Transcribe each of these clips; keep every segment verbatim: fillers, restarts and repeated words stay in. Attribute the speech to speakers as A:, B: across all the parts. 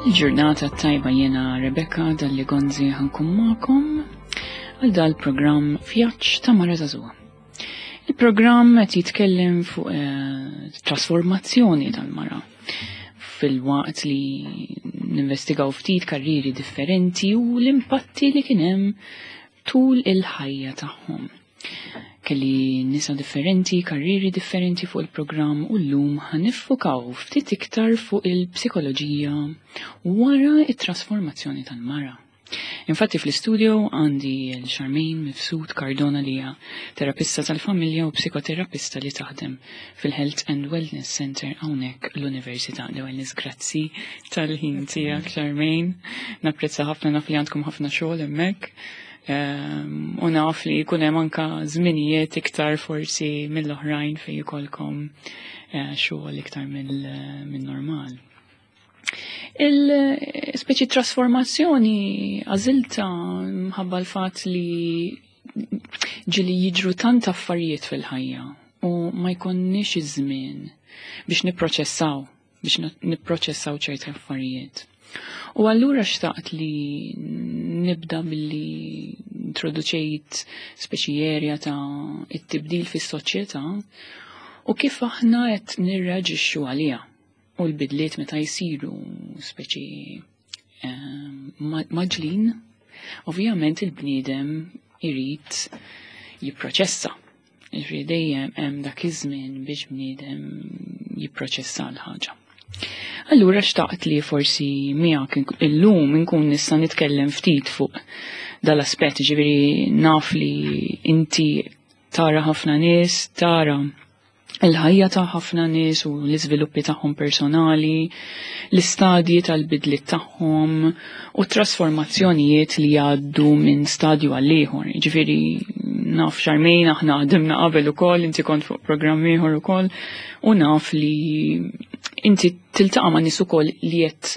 A: Il-ġurnata tajba, jiena Rebecca Dalli Gonzi, ħa nkun magħkom għal dal-programm Vjaġġ ta' Mara Żagħżugħa. Il-programm qed jitkellem fuq eh, trasformazzjoni tal-mara filwaqt li ninvestigaw ftit karriri differenti u l-impatti li kien hemm tul il-ħajja tagħhom. Kelli nisa differenti, karriri differenti fuq il-programm u llum ħa niffukaw ftit iktar fuq il-psikoloġija wara it-trasformazzjoni tal-mara. Infatti fl-istudio għandi l-Charmaine Mifsud Cardona, li hija terapista tal-familja u psikoterapista li taħdem fil-Health and Wellness Center hawnhekk l-Università. L-ewwel grazzi tal-ħin tiegħek, Charmaine. Napprezza ħafna, naf li għandkom ħafna xogħol hemmhekk. Um, u naf li jkun hemm anka żminijiet iktar forsi mill-oħrajn fejn jkollkom uh, xogħol iktar mill-normal. Il-speċi trasformazzjoni għażiltha mħabba l-fatt li ġieli jiġru tant affarijiet fil-ħajja u ma jkonniex iż-żmien biex nipproċessaw, biex nipproċessaw ċerti affarijiet. U allura xtaqt li nibda billi introduċejt speċi area ta' it-tibdil fis-soċjetà u kif aħna qed nirreaġixxu għaliha u l-bidliet meta jsiru speċi mgħaġġlin, ovvjament il-bniedem irid jipproċessa. Ġifieri dejjem hemm dak iż-żmien biex bniedem jipproċessa l-ħaġa. Allura xtaqt li forsi miegħek illum inkun nista' nitkellem ftit fuq dal-aspett, ġifieri naf li inti tara ħafna nies, tara il-ħajja ta' ħafna nies u l-iżviluppi tagħhom personali, l-istadji tal-bidliet tagħhom u trasformazzjonijiet li jgħaddu minn stadju għal ieħor. Ġifieri naf Charmaine, aħna ħdimna qabel ukoll, inti kont fuq programm ieħor ukoll, u naf li inti tiltaqa' ma' nies ukoll li qed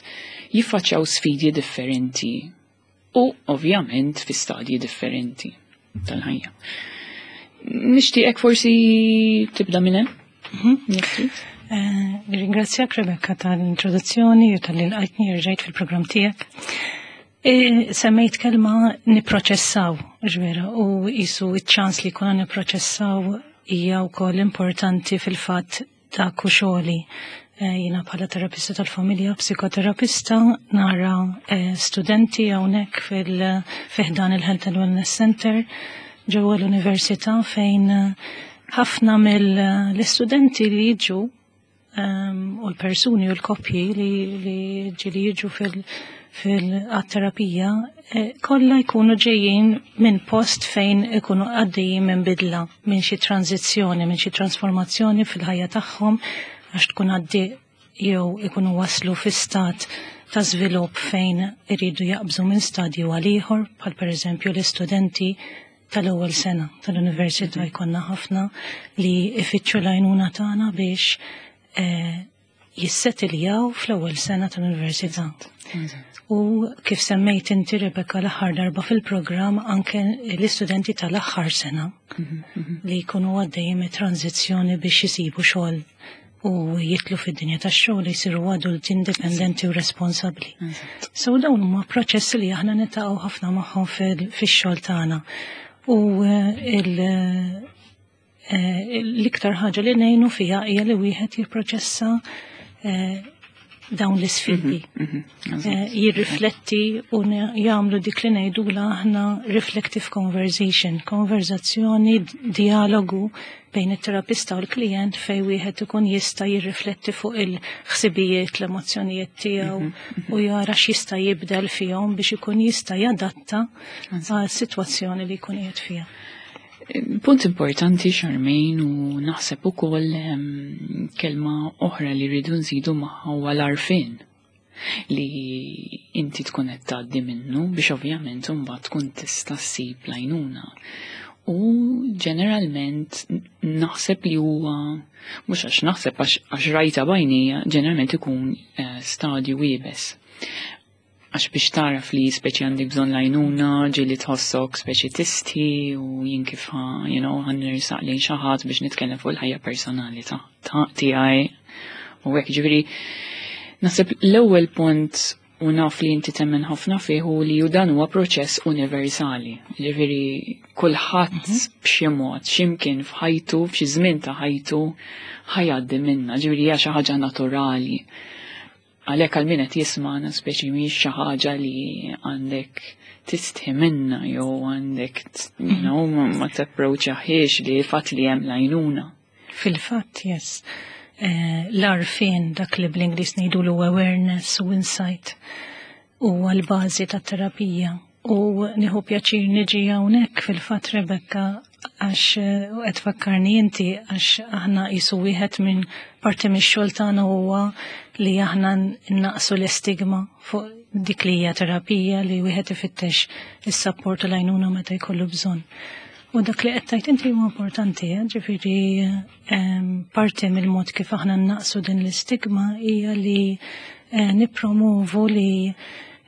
A: jiffaċċjaw sfidi differenti u ovvjament fi stadji differenti tal-ħajja. Nixtieqek forsi tibda minn hemm?
B: Mhm. Eh, Ringrazzjak, Rebecca, tal-introduzzjoni u talli lqajtni rġajt fil-programm tiegħek. E, semmejt kelma niproċessaw, ġvera, u jisu iċ-ċans li kuna niproċessaw hija wkoll importanti fil-fatt ta' kuxoli. E, Jiena bħala terapista tal-familja, psikoterapista, nara e, studenti hawnhekk fi ħdan il-Health and Wellness Center ġewwa l-università, fejn ħafna mill-istudenti li jiġu um, u l-persuni u l-koppji li, li ġieli jiġu fil- fil-terapija eh, kollha jkunu ġejjin minn post fejn ikunu għaddejjin minn bidla, minn xi tranzizzjoni, minn xi transformazzjoni fil-ħajja tagħhom, għax tkun għaddi jew ikunu waslu fi stat ta' żvilupp fejn iridu jaqbżu minn stadju għal ieħor, bħal pereżempju l-istudenti tal-ewwel sena tal-università. Jkollna ħafna li ifittxu l-għajnuna tagħna biex eh, jissettiljaw fl-ewwel sena tal-università. U kif semmejt inti, Rebecca, l-aħħar darba fil-programm, anke l-istudenti tal-aħħar sena li jkunu għaddejjin tranzizzjoni biex jisibu xogħol u jidħlu fid-dinja tax-xogħol, jsiru adulti indipendenti u responsabbli. So dawn huma proċessi li aħna niltaqgħu ħafna magħhom fix-xogħol tagħna. U eh, il- eh, l-iktar ħaġa li ngħinu fiha hija li wieħed jipproċessa eh, dawn l-isfidi. Eh, Jirrifletti u ne- jagħmlu dik li ngħidula aħna reflective conversation, konverzazzjoni, dialogu bejn it-terapista u l-klient fej wieħed ikun jista' jirrifletti fuq il-ħsibijiet, l-emozzjonijiet tiegħu u jara x'jista' jibdel fihom biex ikun jista' jadatta għal sitwazzjoni li jkun qiegħed fiha.
A: Punt importanti, Charmaine, u naħseb ukoll em, kelma oħra li rridu nżidu magħha huwa l-għarfien li inti tkun qed tgħaddi minnu biex ovvjament imbagħad tkun tista' ssib l-għajnuna. U ġeneralment naħseb li huwa, mhux għax naħseb, għax għax rajta b'għajnejja, ġeneralment ikun eh, stadju iebes. Għax biex taraf li speċi għandek bżonn l-għajnuna, ġieli tħossok speċi tistħi u jien kif ħa, you know, ħa nersaq lejn xi ħadd biex nitkellem fuq il-ħajja personali ta' ta' tiegħi. U hekk, ġifieri naħseb l-ewwel punt u naf li inti temmen ħafna fih u li dan huwa proċess universali. Ġifieri kulħadd mhm. b'xi mod, x'imkien f'ħajtu, f'xi żmien ta' ħajtu ħa jgħaddi minnha, ġifieri hija xi ħaġa naturali. Għalhekk għal min qed jisma'na, speċi mhix xi ħaġa li għandek tistħi minna jew għandek you know, ma tapproċċahiex li fatt li hemm l-għajnuna.
B: Fil-fatt, yes. Eh, l-għarfien, dak li bl-Ingliż ngħidu awareness u insight, u għal-bażi ta' terapija. U nieħu pjaċir niġi hawnhekk fil-fatt, Rebecca, għax eh, qed fakkarni inti, għax aħna qisu wieħed minn parti mix-xogħol tagħna huwa li aħna naqsu l-istigma fuq dik li hija terapija, li wieħed ifittex is-sapport u l-għajnuna meta jkollu bżonn. U dak li qed tgħid inti huwa importanti, eh? Ġifieri parti mill-mod kif aħna naqsu din l-istigma hija li eh, nippromovu li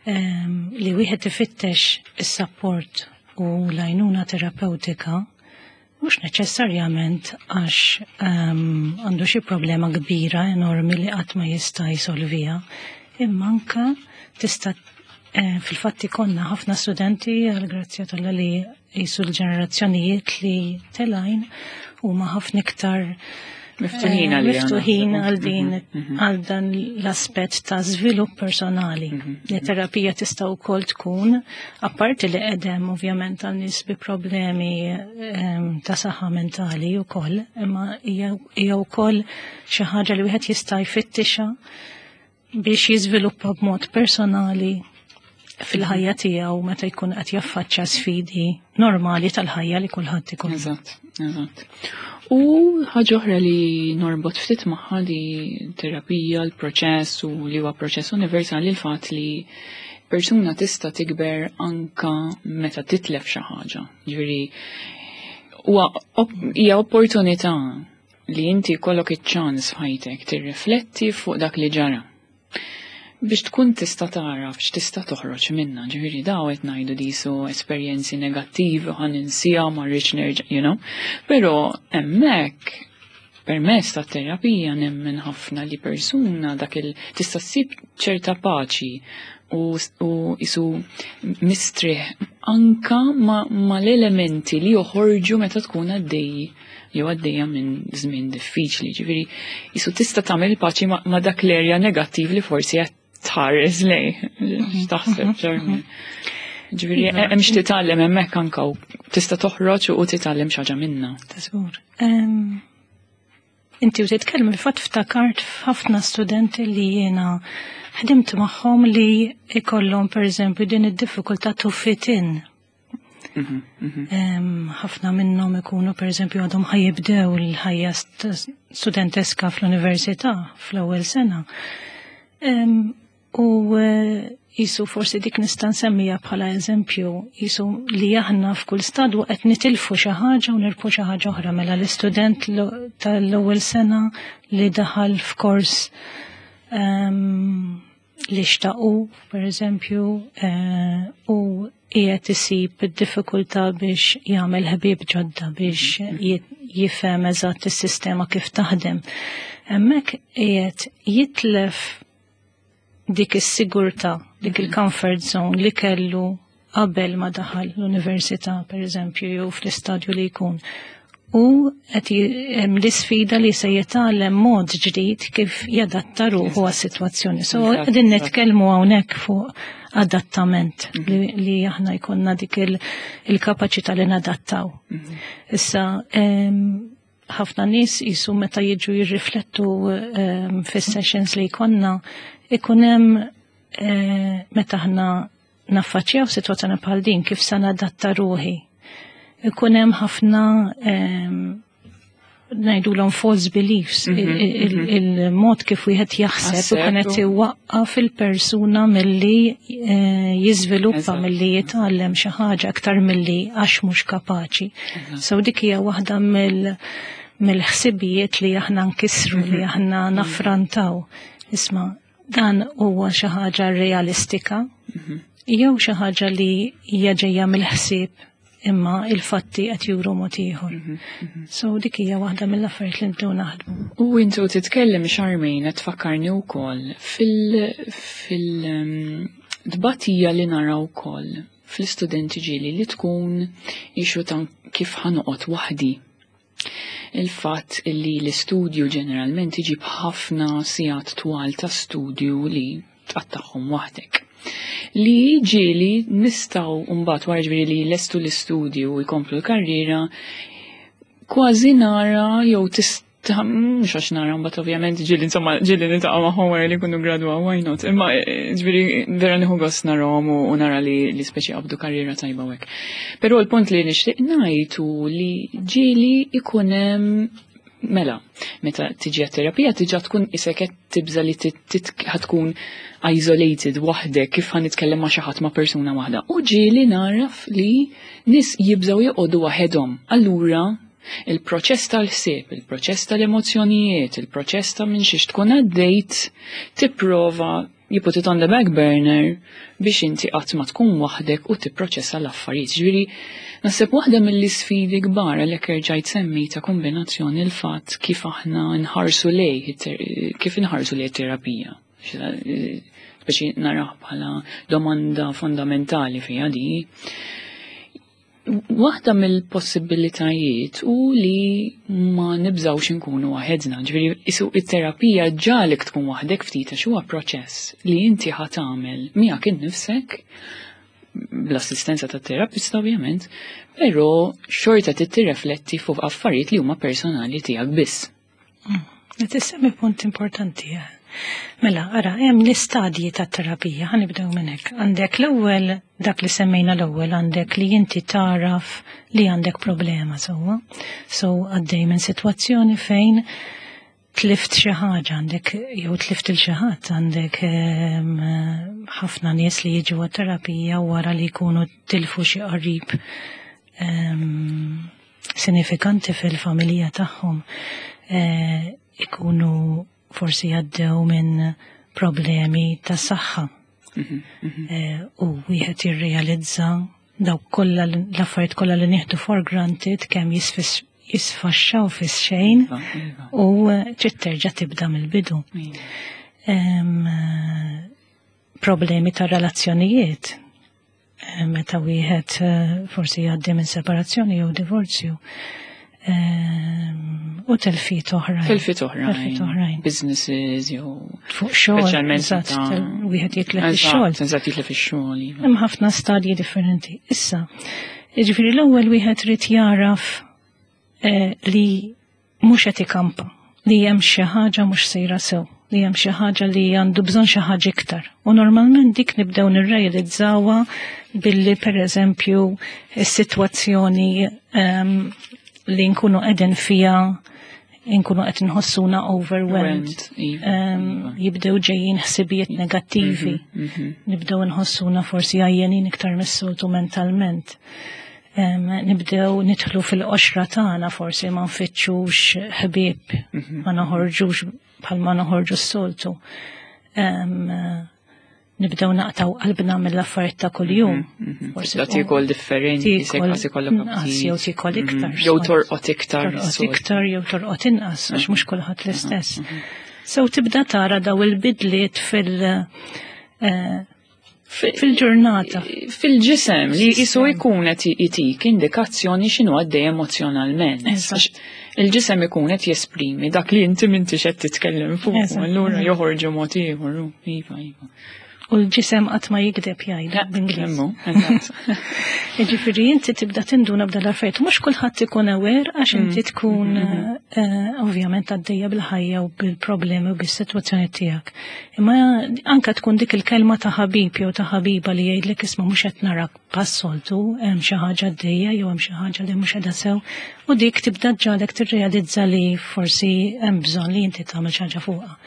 B: li wieħed ifittex is-sapport u l-għajnuna terapeutika mhux neċessarjament għax għandu xi problema kbira enormi li qatt ma jista' jsolvija, imma anke tista' eh, fil-fatt ikollna ħafna studenti, għal grazzja t'Alla, li jisu l-ġenerazzjonijiet li telgħin huma ħafna iktar
A: miftuħin
B: għal miftuħin għal din mhm, mhm. għal dan l-aspett ta' żvilupp personali. Mhm, li terapija tista' wkoll tkun, apparti li qegħdem ovvjament għal nies bi problemi ehm, ta' saħħa mentali wkoll, imma hija wkoll xi ħaġa li wieħed jista' jfittixa biex jiżviluppa b'mod personali fil-ħajja tiegħu meta jkun qed jaffaċċja sfidi normali tal-ħajja li kulħadd ikun.
A: Eżatt, eżatt. U ħaġa oħra li norbot ftit magħha li terapija, l-proċess u li huwa proċess universali, l-fatt li persuna tista' tikber anka meta titlef xi ħaġa. Ġifieri huwa hija opportunità li inti jkollok iċ-ċans f'ħajtek tirrifletti fuq dak li ġara biex tkun tista' tara x'tista' toħroġ minna. Ġifieri daw qed ngħidu disu esperjenzi negattivi, ħa ninsiha, ma rridx nerġa', you know. Però hemmhekk permezz ta' terapija nemmen ħafna li persuna dak il tista' ssib ċerta paċi u, u jisu mistrieħ anka ma, ma l-elementi li joħorġu meta tkun għaddej jew għaddejja minn żmien diffiċli. Ġifieri jisu tista' tagħmel paċi ma, ma dak l-erja negattiv li forsi qed tħares lej. X'taħseb, Charmaine? Ġifieri iva. hemm x'titgħallem hemmhekk anka u tista' toħroġ u titgħallem xi ħaġa minna.
B: Ta' żgur. Inti u titkellem, il-fatt ftakart f'ħafna studenti li jiena ħdimt magħhom li ikollhom pereżempju din id-diffikultà to fit in. Mhm, mhm. Ħafna minnhom ikunu pereżempju għadhom ħa jibdew l-ħajja studenteska fl-università fl-ewwel sena. U jisu forsi dik nista' nsemmija bħala eżempju jisu li aħna f'kull stadju qed nitilfu xi ħaġa u nirbħu xi ħaġa oħra. Mela l-istudent tal-ewwel sena li daħal f'kors um, li xtaqu, per eżempju, uh, u qiegħed isib id-diffikultà biex jagħmel ħbieb ġodda, biex jifhem eżatt is-sistema kif taħdem. Hemmhekk qiegħed jitlef dik is-sigurtà, dik mhm. il-comfort zone li kellu qabel ma daħal l-università, per eżempju, jew fl-istadju li jkun. U qed hemm l-isfida li se jitgħallem mod ġdid kif jadatta ruħu għas-sitwazzjoni. So qegħdin nitkellmu hawnhekk fuq adattament, mhm. li, li aħna jkollna dik il-kapaċità li nadattaw. Mhm. Issa ħafna nies jisu meta jiġu jirriflettu um, fis-sessions li jkollna, ikun hemm eh, meta aħna naffaċċjaw sitwazzjoni bħal din, kif se nadatta ruħi. Ikun hemm ħafna um, ngħidulhom false beliefs, mhm, mhm. il-mod kif wieħed jaħseb u kienet iwaqqaf il-persuna milli eh, jiżviluppa, milli jitgħallem xi ħaġa aktar milli għax mhux kapaċi. So dik hija waħda mill mill-ħsibijiet li aħna nkissru, li mhm. aħna naffrontaw. Isma', dan huwa xi ħaġa realistika jew xi ħaġa li hija ġejja mill-ħsieb imma il-fatti qed juru mod ieħor.
A: Mhm, mhm.
B: So dik hija waħda mill-affarijiet li nibdew naħdmu.
A: U intu titkellem, Charmaine, qed tfakkarni wkoll fil fil um, tbatija li nara wkoll fl-istudenti ġieli li tkun issue ta' kif ħa noqgħod waħdi. Il-fatt li l-istudju ġeneralment iġib ħafna sigħat twal ta' studju li tqattagħhom waħdek. Li ġieli nistgħu mbagħad wara, ġifieri li lestu l-istudju u jkomplu l-karriera, kważi nara jew tista', mhux għax nara, mbagħad ovvjament ġieli, insomma, ġieli niltaqa' magħhom wara li jkunu gradwaw, why not? Imma eh, ġifieri vera nieħu gost narahom u u nara li li speċi qabdu karriera tajba u hekk. Però l-punt li nixtieq ngħid hu li ġieli ikun hemm, mela, meta tiġi għat-terapija tiġa tkun isek qed tibża li tit- tit- ħa tkun isolated waħdek, kif ħa nitkellem ma' xi ħadd, ma' persuna waħda. U ġieli naraf li nies jibżgħu joqogħdu waħedhom. Allura il-proċess tal-ħsieb, il-proċess tal-emozzjonijiet, il-proċess ta' minn xiex tkun għaddejt, tipprova you put it on the back burner biex inti qatt ma tkun waħdek u tipproċessa l-affarijiet. Ġifieri, naħseb waħda mill-isfidi kbar, għalhekk erġajt semmejta kombinazzjoni, il-fatt kif aħna nħarsu lej, kif nħarsu lej terapija. Speċi narah bħala domanda fondamentali fija di. Waħda mill-possibilitajiet u li ma nibżawx inkunu waħedna, ġifieri isu it-terapija ġagħlek tkun waħdek ftit għax huwa proċess li inti ħa tagħmel miegħek innifsek bl-assistenza tat terapista ovvjament, però xorta tirrifletti fuq affarijiet li huma personali tiegħek biss.
B: Qed issemmi punt importanti. eh. Mela, ara, hemm l-istadji ta' terapija, ħa nibdew minn hekk. Għandek l-ewwel, dak li semmejna l-ewwel, għandek li inti taraf li għandek problema sewwa. So għaddej minn sitwazzjoni fejn tlift xi ħaġa, għandek jew tlift il xi ħadd, għandek ehm, ħafna nies li jiġu għat-terapija wara li jkunu tilfu xi qarib ehm, sinifikanti fil-familja tagħhom. Eh, ikunu forsi għaddew minn problemi ta' saħħa. Eh, u wieħed jirrealizza dawk kollha l-affarijiet kollha li nieħdu for granted kemm jisfis- jisfaxxaw fix-xejn
A: Iva, iva.
B: u eh, trid terġa' tibda mill-bidu.
A: Iva.
B: Em, eh, problemi ta' relazzjonijiet. Eh, Meta wieħed eh, forsi jgħaddi minn separazzjoni jew divorzju. Em, U telfiet oħrajn.
A: Telfiet oħrajn.
B: Telfiet oħrajn.
A: Businesses jew
B: Fuq xogħol.
A: Speċjalment
B: eżatt,
A: meta-
B: tel- wieħed jitlef ix-xogħol.
A: Eżatt, eżatt, jitlef ix-xogħol. Iva.
B: Hemm ħafna stadji differenti. Issa, jiġifieri l-ewwel wieħed irid jaraf eh, li mhux qed ikampa, li hemm xi ħaġa mhux sejra sew, li hemm xi ħaġa li għandu bżonn xi ħaġa iktar. U normalment dik nibdew nirrealizzawha billi, pereżempju, is-sitwazzjoni ehm, li nkunu qegħdin fiha nkunu qed nħossuna overwhelmed.
A: Iva,
B: Ehm,
A: iva.
B: Jibdew ġejjin ħsibijiet negattivi.
A: Mhm.
B: Nibdew nħossuna forsi għajjenin iktar mis-soltu mentalment. Em, nibdew nidħlu fil-qoxra tagħna, forsi ma nfittxux ħbieb, ma noħorġux bħal ma noħorġu s-soltu. Em, Nibdew naqtaw qalbna mill-affarijiet ta' kuljum. Forsi
A: Tibda tiekol differenti,
B: tiekol
A: sekk ikollok
B: inqas
A: aptit.
B: jew tiekol iktar.
A: Mhm. Jew torqod iktar.
B: Torqod
A: mis-soltu.
B: iktar jew torqod inqas, għax mhux kulħadd l-istess. So tibda tara daw il-bidliet fil- eh, fil-ġurnata.
A: Fil-ġisem li jisu jkun qed jitik indikazzjoni x'inhu għaddej emozjonalment.
B: Eżatt.
A: Għax il-ġisem ikun qed jesprimi dak li inti m'intix qed titkellem fuq,
B: Eżatt.
A: allura joħorġu mod ieħor. Iva, iva.
B: U l-ġisem qatt ma jikdeb, jgħidu bl-Ingliż.
A: Hemmu, eżatt.
B: Jiġifieri inti tibda tinduna b'dal affarijiet, mhux kulħadd ikun aware għax inti tkun eh, ovvjament għaddejja bil-ħajja u bil-problemi u bis-sitwazzjoni tiegħek. Imma anka tkun dik il-kelma ta' ħabib jew ta' ħabiba li jgħidlek, "Isma', mhux qed narak bħas-soltu, hemm xi ħaġa għaddejja jew hemm xi ħaġa li mhux qiegħda sew", u dik tibda ġagħlek tirrealizza li forsi hemm bżonn li inti tagħmel xi ħaġa fuqha.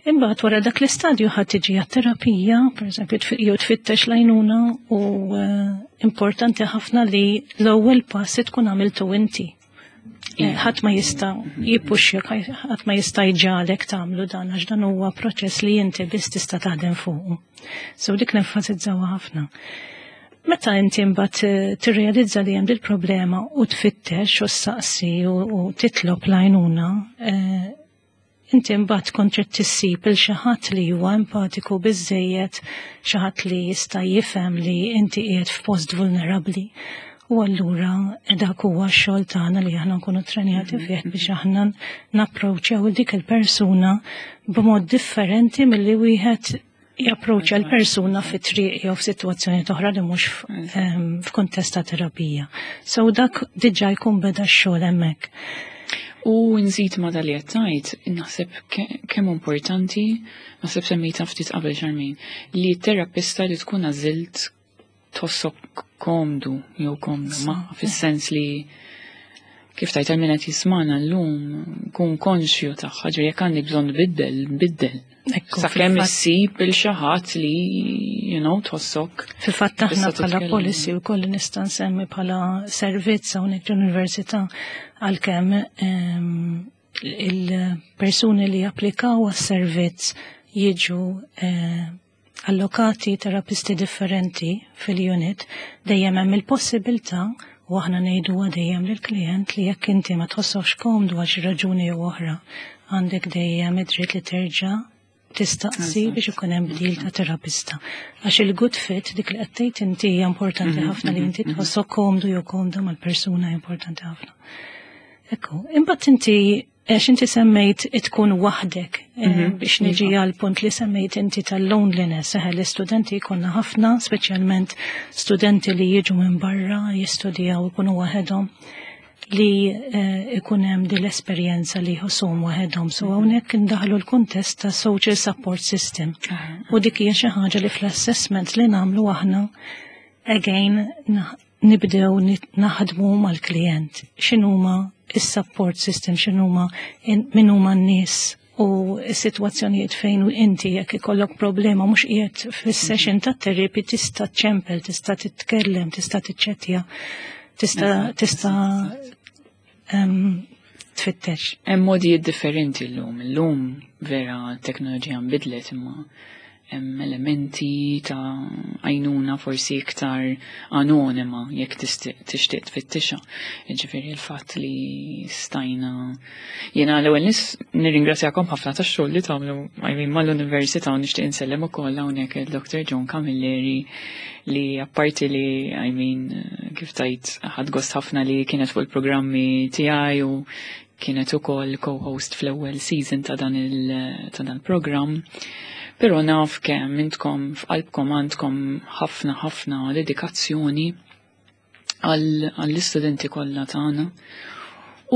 B: Imbagħad wara dak l-istadju ħadd tiġi għat-terapija, pereżempju, tfi- jew tfittex l-għajnuna, u eh, importanti ħafna li l-ewwel pass tkun għamiltu inti. Eh, Ħadd ma jista' jippuxjak, ħadd ma jista' jġagħlek tagħmlu dan, għax dan huwa proċess li inti biss tista' taħdem fuqu. So dik nenfasizzawha ħafna. Meta inti mbagħad eh, tirrealizza li hemm dil-problema u tfittex u ssaqsi u, u titlob l-għajnuna, eh, inti mbagħad kont trid tissib il xi ħadd li huwa empatiku biżejjed, xi ħadd li jista' jifhem li inti qiegħed f'post vulnerabbli. U allura dak huwa x-xogħol tagħna li aħna nkunu trenjati fih biex aħna napproċċjaw dik il-persuna b'mod differenti milli wieħed japproċċja l-persuna fi triq jew f'sitwazzjoni oħra li mhux f'kuntest ta' terapija. So dak diġà jkun beda x-xogħol hemmhekk.
A: U nżid ma dal tajt, naħseb kemm importanti, naħseb semmejta ftit qabel, Charmaine, li t-terapista li tkun għażilt tħossok komdu jew komdu ma fis-sens li kif tajt min qed jismana llum kun konxju tagħha, ġifieri jekk għandek bżonn biddel, biddel. Sakemm issib il xi ħadd li you know tħossok.
B: Fil-fatt aħna bħala policy wkoll nista' nsemmi bħala servizz hawnhekk l-università, għalkemm ehm, il-persuni li applikaw għas-servizz jiġu eh, allokati terapisti differenti fil-unit, dejjem hemm il-possibilità u aħna ngħidu dejjem lill-klient li jekk inti ma tħossokx komdu għal xi raġuni jew oħra, għandek dejjem id-dritt li terġa' tistaqsi biex ikun hemm bdil ta' terapista. Għax il-good fit, dik li qed tgħid inti, hija importanti mhm, ħafna li inti mhm, mhm. tħossok komdu jew komda mal-persuna, importanti ħafna. Ekku, imbagħad inti għax inti semmejt tkun waħdek, eh, mhm, biex niġi iva. għal punt li semmejt inti tal-loneliness, eħe, l-istudenti jkollna ħafna, speċjalment studenti li jiġu minn barra jistudjaw, ikunu waħedhom, li eh, ikun hemm din l-esperjenza li jħossuhom waħedhom. So hawnhekk indaħlu l-kuntest ta' social support system. U dik hija xi ħaġa li fl-assessment li nagħmlu aħna again nibdew naħdmu mal-klient. X'inhuma is-support system, x'inhuma min huma n-nies u s-sitwazzjonijiet fejn inti jekk ikollok problema, mhux qiegħed fis-session ta' therapy, tista' ċempel, tista' titkellem, tista' tiċċettja, tista' tista' tfittex.
A: Hemm modi differenti llum. Illum vera t-teknoloġija nbidlet, imma hemm elementi ta' għajnuna forsi iktar anonima jekk tixtieq tfittixa. Ġifieri l-fatt li stajna, jiena l-ewwel nis nirringrazzjakom ħafna tax-xogħol li tagħmlu, I mean, mal-università, u nixtieq insellem ukoll hawnhekk il-Doctor John Camilleri li apparti li, I mean, kif tajt ħadt gost ħafna li kienet fuq il-programmi tiegħi u kienet ukoll co-host fl-ewwel season ta' dan il-programm. Pero naf kemm intkom f'qalbkom għandkom ħafna ħafna dedikazzjoni għall-istudenti kollha tagħna.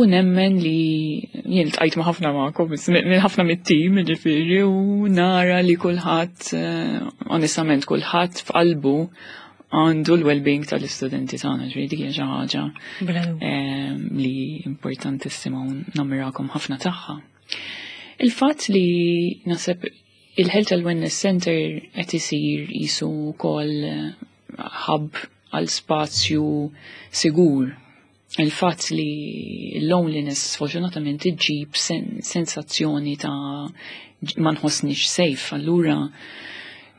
A: U nemmen li jien ltqajt ma' ħafna magħkom, minn ħafna mit-tim, ġifieri, u nara li kulħadd, eh, onestament, kulħadd f'qalbu għandu l-well-being tal-istudenti tagħna, ġifieri dik hija xi ħaġa eh, li importantissima u nammirakom ħafna tagħha. Il-fatt li naħseb il-Health and Wellness Center qed isir jisu wkoll eh, hub għal spazju sigur. Il-fatt li l-loneliness sfortunatament iġġib sen sensazzjoni ta' ma nħossnix safe, allura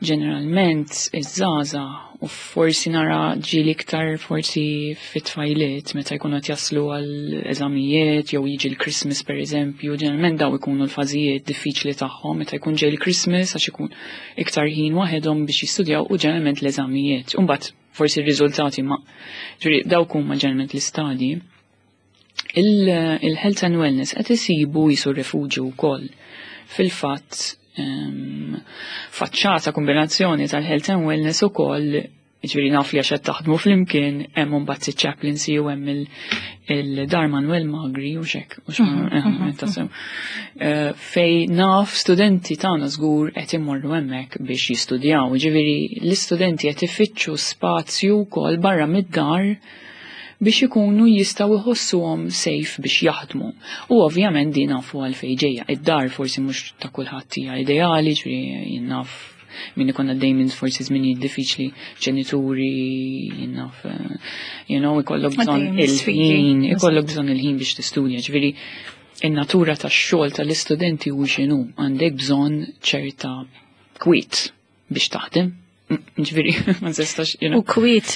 A: ġeneralment iż-żgħażagħ, u forsi nara ġieli iktar forsi fit-tfajliet meta jkunu qed jaslu għal eżamijiet jew jiġi l-Christmas per eżempju, ġeneralment daw ikunu l-fażijiet diffiċli tagħhom meta jkun ġej il-Christmas għax ikun iktar ħin waħedhom biex jistudjaw u ġeneralment l-eżamijiet. Imbagħad forsi r-riżultati, ma ġifieri dawk huma ġeneralment l-istadji. Il-health and wellness qed isibu jisu refuġju wkoll. Fil-fatt faċċata kombinazzjoni tal-health and wellness ukoll, ġifieri naf li għax qed taħdmu flimkien, hemm mbagħad chaplaincy u hemm il-Dar Manuel Magri u xek, u mhm, mhm, mhm. eh, fej naf studenti tagħna żgur qed imorru hemmhekk biex jistudjaw. Ġifieri l-istudenti qed ifittxu spazju wkoll barra mid-dar biex ikunu jistgħu jħossuhom safe biex jaħdmu. U ovvjament din nafu għal ġejja. Id-dar forsi mhux ta' kulħadd hija ideali, ġifieri jien naf min ikun għaddej minn forsi żminijiet diffiċli, ġenituri, jien naf, eh, you know, ikollok bżonn il-ħin, ikollok bżonn il-ħin biex tistudja, ġifieri in-natura tax-xogħol tal-istudenti u x'inhu, għandek bżonn ċerta kwiet biex taħdem. Ġifieri, ma tistax, you know.
B: U kwiet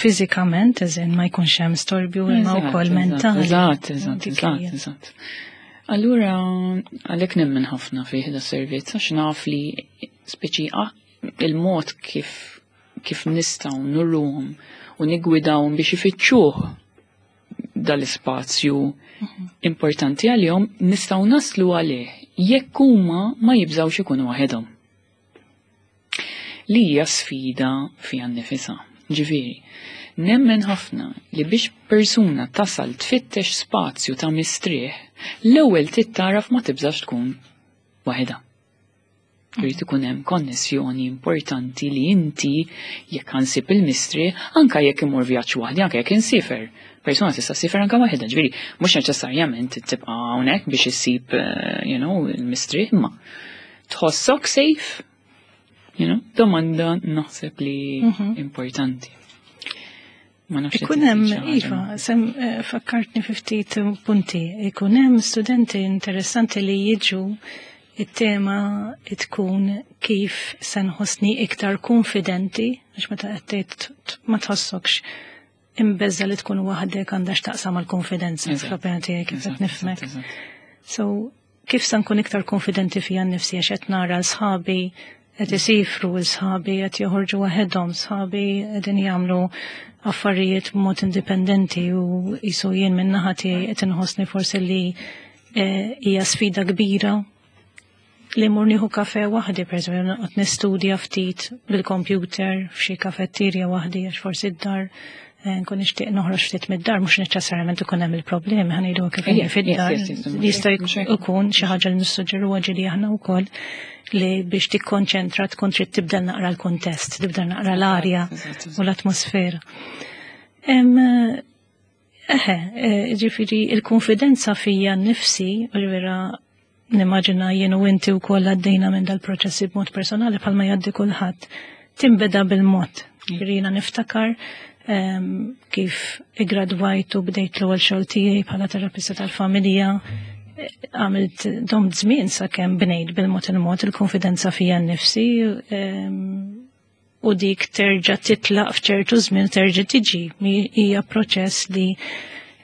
B: fizikament, eżin ma jkunx hemm storbju imma wkoll mentali.
A: Eżatt, eżatt, eżatt, eżatt. Allura, għalhekk nemmen ħafna fih da servizz, għax naf li speċi il-mod kif kif nistgħu nurruhom u nigwidawhom biex ifittxuh dal-ispazju importanti għalihom nistgħu naslu għalih jekk huma ma jibżgħux ikunu waħedhom. Li hija sfida fiha nnifisha. Ġifieri, nemmen ħafna li biex persuna tasal tfittex spazju ta' mistrieħ, l-ewwel tittaraf ma tibżax tkun waħedha. Irid ikun hemm konnessjoni importanti li inti jekk ħansib il-mistrieħ, anka jekk imur vjaġġ waħdi, anka jekk insifer. Persuna tista' ssifer anka waħedha, ġifieri mhux neċessarjament tibqa' hawnhekk biex issib eh, you know, il-mistrieħ, imma tħossok safe, you know, domanda naħseb li mhm. importanti.
B: Ma nafx Ikun hemm, iva, sem eh, fakkartni fi ftit punti. Ikun hemm studenti interessanti li jiġu it-tema tkun kif se nħossni iktar konfidenti, għax meta qed tgħid ma tħossokx imbeżża' li tkun waħdek għandha x'taqsam mal-konfidenza fl-opinjoni tiegħi kif qed nifhmek. So, kif se nkun iktar konfidenti fija nnifsi għax qed nara l-sħabi qed isifru l-sħabi qed joħorġu waħedhom, sħabi qegħdin jagħmlu affarijiet b'mod indipendenti u jisu jien minn naħa tiegħi qed inħossni forsi li eh, hija sfida kbira li mur nieħu kafe waħdi, per eżempju, noqgħod nistudja ftit bil-computer f'xi kafetterja waħdi għax forsi d-dar eh, nkun nixtieq noħroġ ftit mid-dar, mhux neċessarjament ikun hemm il-problemi, ħa ngħidu kif inhi fid-dar. Jista' jkun xi ħaġa li nissuġġeruha ġieli aħna wkoll li biex tikkonċentra tkun trid tibda naqra l-kontest, tibda naqra l-arja u l-atmosfera. Eħe, eh, ġifieri il-konfidenza fija nnifsi, vera nimmaġina jien u inti u koll għaddejna minn dal-proċessi b'mod personali bħalma jgħaddi kulħadd. Timbeda bil-mod. Jiena niftakar em, kif igradwajt u bdejt l-ewwel xogħol tiegħi bħala terapista tal-familja, eh, għamilt domt żmien sakemm bnejt bil-mod il-mod il-konfidenza fija nnifsi em, u dik terġa' titlaq f'ċertu żmien terġa' tiġi. Mi- Hija proċess li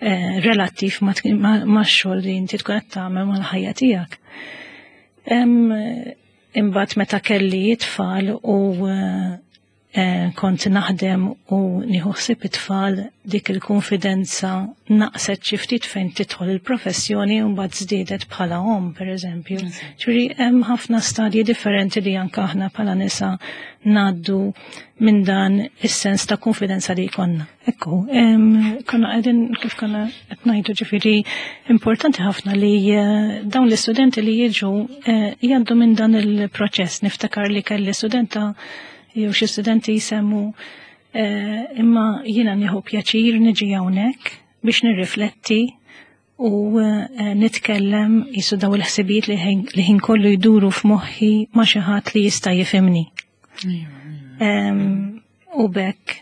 B: eh, relattiv ma' ma' ma' xogħol li inti tkun qed tagħmel mal-ħajja tiegħek. Em, Imbagħad meta kelli tfal u eh, eh, kont naħdem u nieħu ħsieb it-tfal dik il-konfidenza naqset xi ftit fejn tidħol il-professjoni u mbagħad żdiedet bħala omm pereżempju. Ġifieri hemm ħafna stadji differenti li anke aħna bħala nisa ngħaddu minn dan is-sens ta' konfidenza li jkollna. Ekku, em, konna qegħdin kif konna qed ngħidu ġifieri importanti ħafna li eh, dawn l-istudenti li jiġu eh, jgħaddu minn dan il-proċess. Niftakar li kelli studenta jew xi studenti jsemmu eh, imma jiena nieħu pjaċir niġi hawnhekk biex nirrifletti u eh, nitkellem jisu daw il-ħsibijiet li ħin- li ħin kollu jduru f'moħħi ma' xi ħadd li jista' jifhimni. Em, U bekk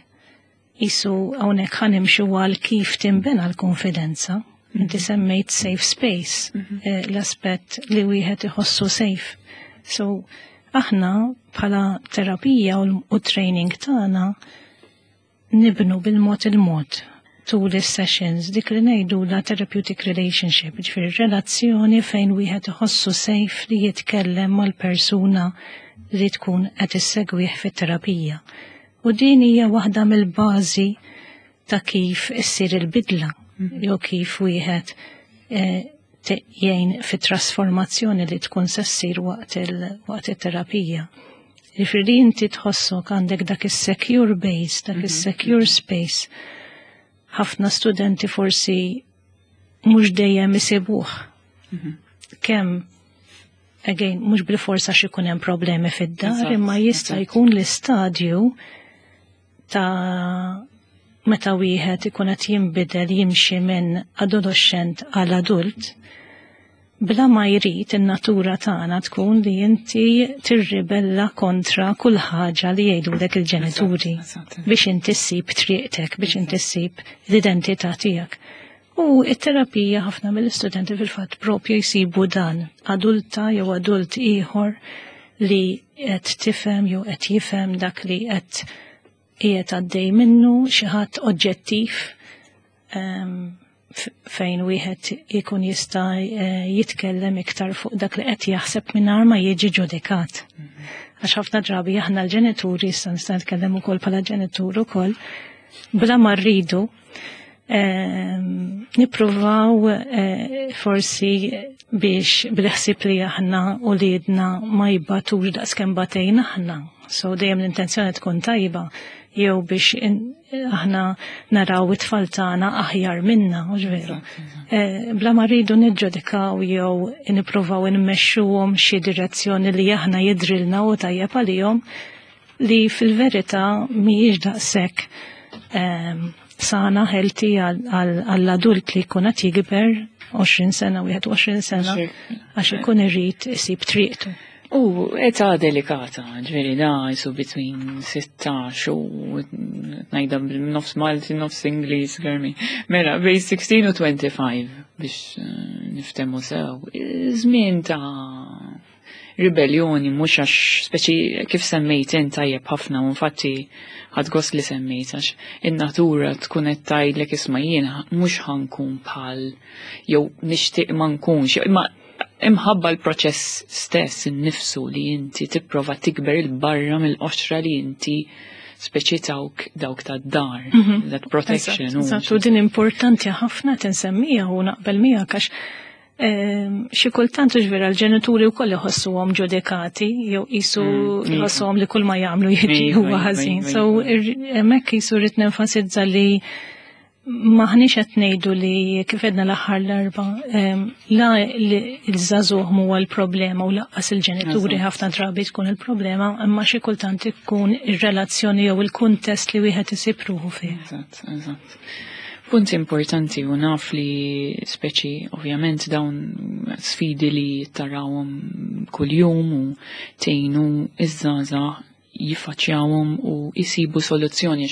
B: jisu hawnhekk ħa nimxu għal kif tinbena l-konfidenza. Inti semmejt safe space, eh, l-aspett li wieħed iħossu safe. So, aħna bħala terapija u u training tagħna nibnu bil-mod il-mod tul is-sessions dik li ngħidu la therapeutic relationship, ġifieri relazzjoni fejn wieħed iħossu safe li jitkellem mal-persuna li tkun qed issegwih fit-terapija. U din hija waħda mill-bażi ta' kif issir il-bidla, jew kif wieħed eh, te- jgħin fit-trasformazzjoni li tkun se ssir waqt il- waqt it-terapija. Ġifieri inti tħossok għandek dak is-secure base, dak is-secure space. Ħafna studenti forsi mhux dejjem isibuh. Kemm again, mhux bil-forsa xi jkun hemm problemi fid-dar,
A: Eżatt,
B: imma jista'
A: eżatt.
B: jkun l-istadju ta' meta wieħed ikun qed jinbidel jimxi minn adolescent għal adult, bla ma jrid in-natura tagħna tkun li inti tirribella kontra kull ħaġa li jgħidulek il-ġenituri
A: Eżatt, eżatt.
B: biex inti ssib triqtek, biex inti ssib l-identità tiegħek. U it-terapija ħafna mill-istudenti fil-fatt propju jsibu dan, adulta jew adult ieħor li qed tifhem jew qed jifhem dak li qed qiegħed għaddej minnu, xi ħadd oġġettiv em, f- fejn wieħed ikun jista' eh, jitkellem iktar fuq dak li qed jaħseb mingħajr ma jiġi ġudikat. Għax ħafna drabi aħna l-ġenituri, issa nista' nitkellem ukoll bħala ġenitur ukoll, bla ma rridu ehm, nippruvaw eh, forsi biex bil-ħsieb li aħna u uliedna ma jbatux daqskemm batejna aħna. So dejjem l-intenzjoni tkun tajba jew biex in- aħna naraw it-tfal tagħna aħjar minna, u veru. Eh, Bla ma rridu niġġudikaw jew nippruvaw nmexxuhom xi direzzjoni li aħna jidrilna u tajjeb għalihom li fil-verità mhijiex daqshekk ehm, sana healthy għall-adult li jkun qed jikber għoxrin sena, wieħed u għoxrin sena, għax ikun irid isib triqtu.
A: U età delikata, ġifieri da jisu between sittax u ngħidha nofs Malti, nofs Ingliż, garmi. Mela, bejn sittax u twenty-five biex eh, niftemu sew. Żmien ta' ribellioni, mhux għax speċi kif semmejt int tajjeb ħafna, u infatti ħadt gost li semmejt, għax in-natura tkun qed tgħidlek, "Isma', jien mhux ħa nkun bħal jew nixtieq ma nkunx," imma imħabba l-proċess stess innifsu li inti tipprova tikber 'il barra mill-qoxra li inti speċi tawk dawk ta' dar, that protection.
B: Eżatt, eżatt, u din importanti ħafna tinsemmija u naqbel miegħek għax ehm, xi kultant ġvera l-ġenituri wkoll iħossuhom ġudikati jew qisu
A: Mm, iva.
B: jħossuhom li kull ma jagħmlu jiġi
A: Iva,
B: huwa
A: iva,
B: ħażin.
A: iva,
B: So
A: iva.
B: ir- hemmhekk qisu rrid nenfasizza li maħniex qed ngħidu li kif għedna l-aħħar l-erba em, la li l-żagħżugħ huwa l-problema u lanqas il-ġenituri
A: Eżatt.
B: ħafna drabi tkun il-problema, imma xi kultant ikun ir-relazzjoni jew il-kuntest li wieħed isib ruħu fih.
A: Eżatt, eżatt. Punt importanti, u naf li speċi ovvjament dawn sfidi li tarawhom kuljum u tgħinu iż-żgħażagħ jiffaċċjawhom u jisibu soluzzjoni.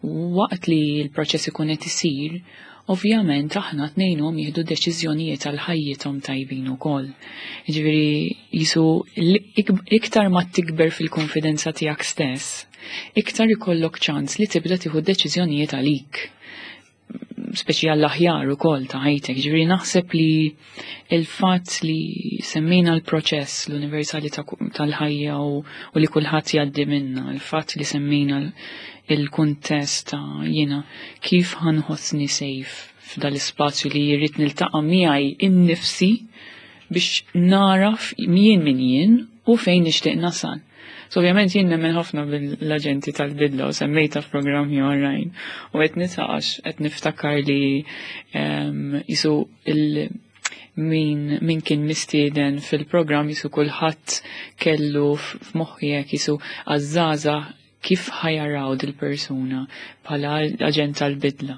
A: Waqt li l-proċess ikun qed isir, ovvjament aħna ngħinuhom jieħdu deċiżjonijiet għal ħajjithom tajbin ukoll. Jiġifieri jisu iktar ma tikber fil-konfidenza tiegħek stess, iktar ikollok ċans li tibda tieħu deċiżjonijiet għalik, speċi għall-aħjar ukoll ta' ħajtek. Ġifieri naħseb li il-fatt li semmejna l-proċess, l-universali tal-ħajja u, u li kulħadd jgħaddi minna, il-fatt li semmejna il-kuntest ta' jiena kif ħa nħossni safe f'dal-ispazju li jrid niltaqa' miegħi innifsi biex naraf jien min jien u fejn nixtieq nasal. So ovvjament jien nemmen ħafna bil-aġenti tal-bidla u semmejta f'programmi oħrajn. U qed nitaqax qed niftakar li jisu il min, min kien mistieden fil-programm jisu kulħadd kellu f'moħħi hekk jisu għaż-żgħażagħ kif ħa jaraw dil-persuna bħala aġent tal-bidla.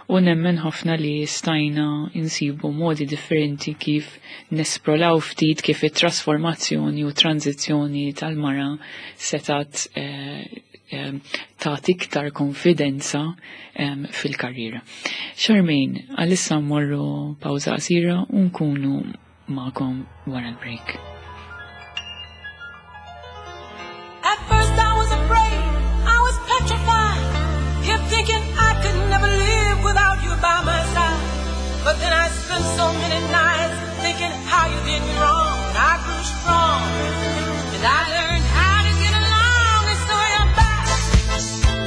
A: U nemmen ħafna li stajna insibu modi differenti kif nesploraw ftit kif it-trasformazzjoni u tranzizzjoni tal-mara setat eh, eh, ta' iktar konfidenza eh, fil-karriera. Charmaine, għalissa mmorru pawża qasira u nkunu magħkom wara l-break.
C: At first I was afraid, I was petrified, kept thinking I could never live without you by my side. But then I spent so many nights thinking how you did me wrong. I grew strong, and I learned how to get along, and so you're back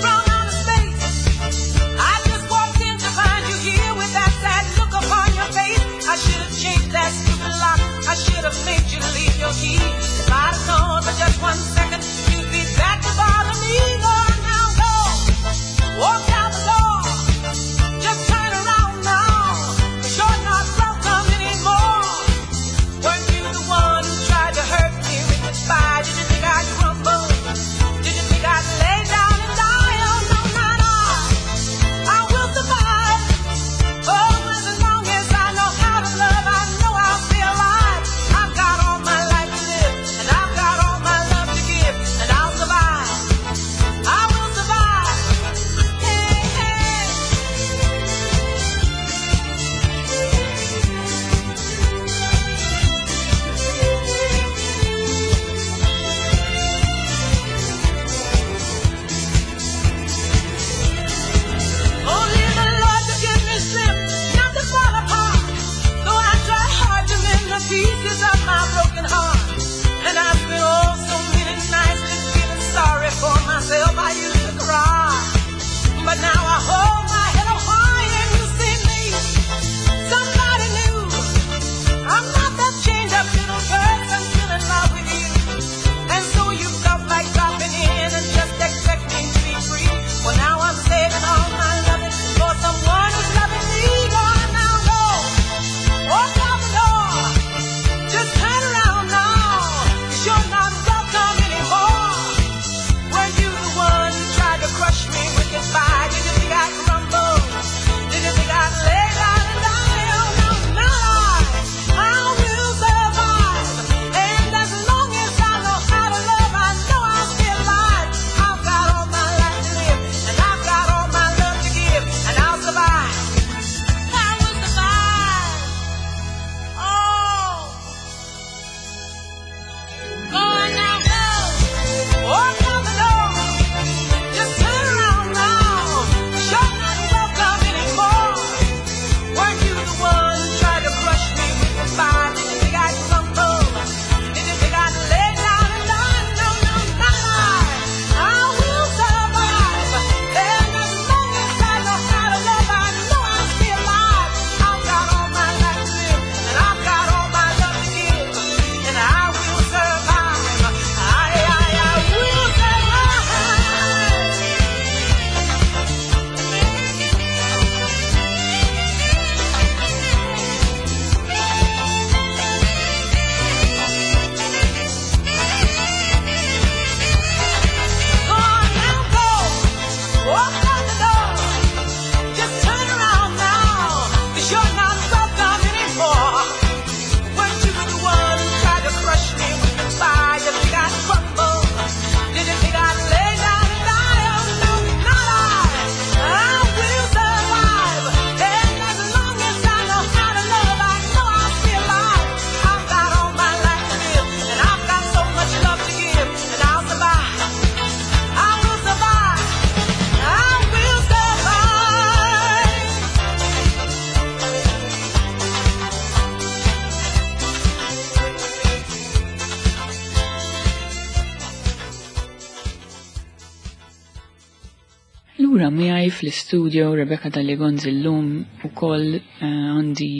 C: from outer space. I just walked in to find you here with that sad look upon your face. I should have changed that stupid lock. I should have made you leave your key. If I'd have known for just one second you'd be back to bother me. Go now, go. Walk out the door. Just turn around now, 'cause you're not welcome anymore. Weren't you
A: Lura miegħi fl-istudio Rebecca Dalli Gonzi llum ukoll eh, għandi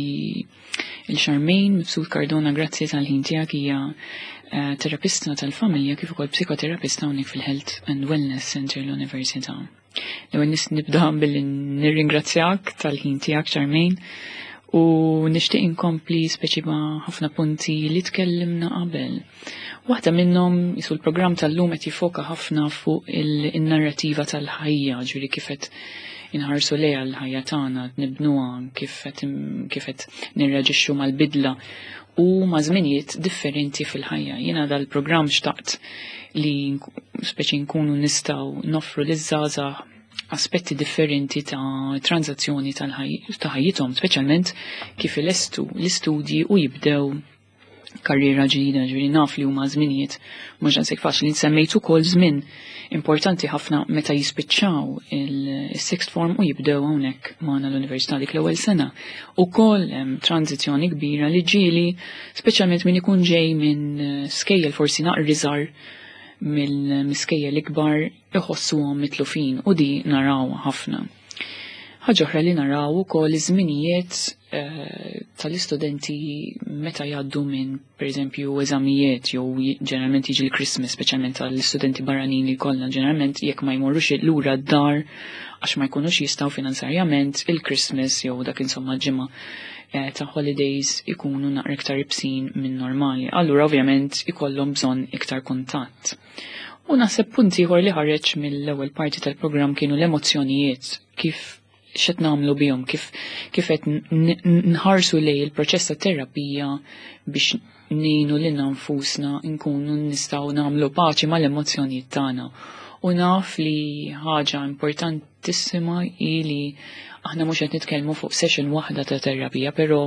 A: il-Charmaine Mifsud Cardona, grazzi tal-ħin tiegħek, hija eh, terapista tal-familja kif ukoll psikoterapista hawnhekk fil-Health and Wellness Center l-Università. L-ewwel nis nibda billi nirringrazzjak tal-ħin tiegħek, Charmaine, u nixtieq inkompli speċi ma' ħafna punti li tkellimna qabel. Waħda minnhom jisu l-programm tal-lum qed jifoka ħafna fuq il-narrativa tal-ħajja, ġifieri kif qed inħarsu lejha l-ħajja tagħna, nibnuha, kif qed kif qed nirreaġixxu mal-bidla u ma' żminijiet differenti fil-ħajja. Jiena dal-programm xtaqt li speċi nkunu nistgħu noffru liż-żgħażagħ aspetti differenti ta' tranżazzjoni ta' ħajjithom, speċjalment kif ilestu l-istudji u jibdew karriera ġdida, ġifieri naf li huma żminijiet mhux daqshekk faċli. Semmejt ukoll żmien importanti ħafna meta jispiċċaw il-sixth form u jibdew hawnhekk magħna l-università dik l-ewwel sena. Ukoll hemm tranzizzjoni kbira li ġieli, speċjalment min ikun ġej minn skejjel forsi naqra iżgħar mill-miskejjel ikbar, iħossuhom mitlufin u di naraw ħafna. Ħaġa oħra li naraw ukoll iż-żminijiet eh, tal-istudenti meta jgħaddu minn, pereżempju, eżamijiet jew ġeneralment jiġi l-Christmas, speċjalment tal-istudenti barranin li kollha, ġeneralment jekk ma jmorrux lura d-dar għax ma jkunux jistgħu finanzarjament, il-Christmas jew dak insomma ġimgħa eh, ta' holidays ikunu naqra iktar ibsin minn normali. Allura ovvjament ikollhom bżonn iktar kuntatt. U naħseb punt ieħor li ħareġ mill-ewwel parti tal-programm kienu l-emozzjonijiet, kif x'qed nagħmlu bihom, kif kif qed nħarsu lej il-proċess ta' terapija biex ngħinu lilna nfusna nkunu nistgħu nagħmlu paċi mal-emozzjonijiet tagħna. U naf li ħaġa importantissima hi li aħna mhux qed nitkellmu fuq session waħda ta' terapija, però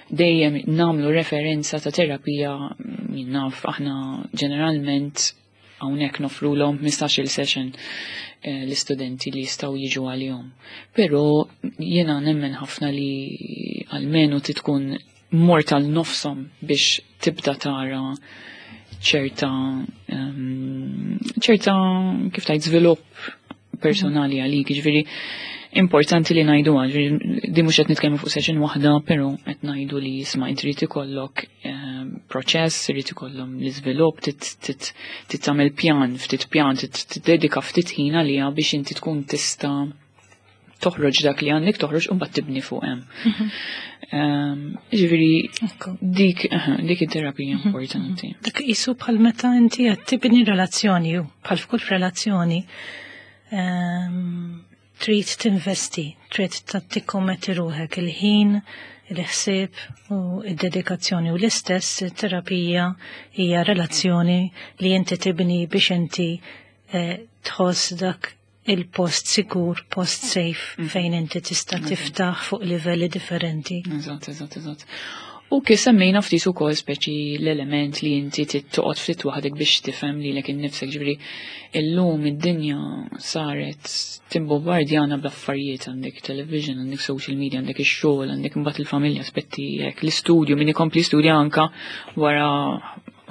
A: dejjem nagħmlu referenza ta' terapija, jien naf aħna ġeneralment hawnhekk nofrulhom ħmistax-il session eh, l-istudenti li jistgħu jiġu għalihom. Però jiena nemmen ħafna li almenu titkun mort għal nofshom biex tibda tara ċerta ehm, ċerta kif tajt żvilupp personali għalik, ġifieri importanti li ngħidu, ġifieri di mhux qed nitkellmu fuq session waħda, però qed ngħidu li isma' inti trid ikollok ehm, proċess, irid ikollhom l-iżvilupp, trid tagħmel pjan, ftit pjan, tiddedika ftit ħin għaliha biex inti tkun tista' toħroġ dak li għandek toħroġ u mbagħad tibni fuq hemm. Ehm, Ġifieri dik dik it-terapija mhm. importanti.
B: Dak isu bħal meta inti qed tibni relazzjoni, bħal f'kull relazzjoni ehm, trid tinvesti, trid tikkommetti ruħek il-ħin, il-ħsieb u id-dedikazzjoni, u l-istess terapija hija relazzjoni li inti tibni biex inti eh, tħoss dak il-post sigur, post safe, mm. fejn inti tista' tiftaħ fuq livelli differenti.
A: Eżatt, eżatt, eżatt. U kif semmejna ftit ukoll speċi l-element li inti toqgħod ftit waħdek biex tifhem lilek innifsek, ġifieri illum id-dinja saret timbombardjana bl-affarijiet, għandek television, għandek social media, għandek ix-xogħol, għandek imbagħad il-familja, aspetti hekk, l-istudju, min ikompli studja anka wara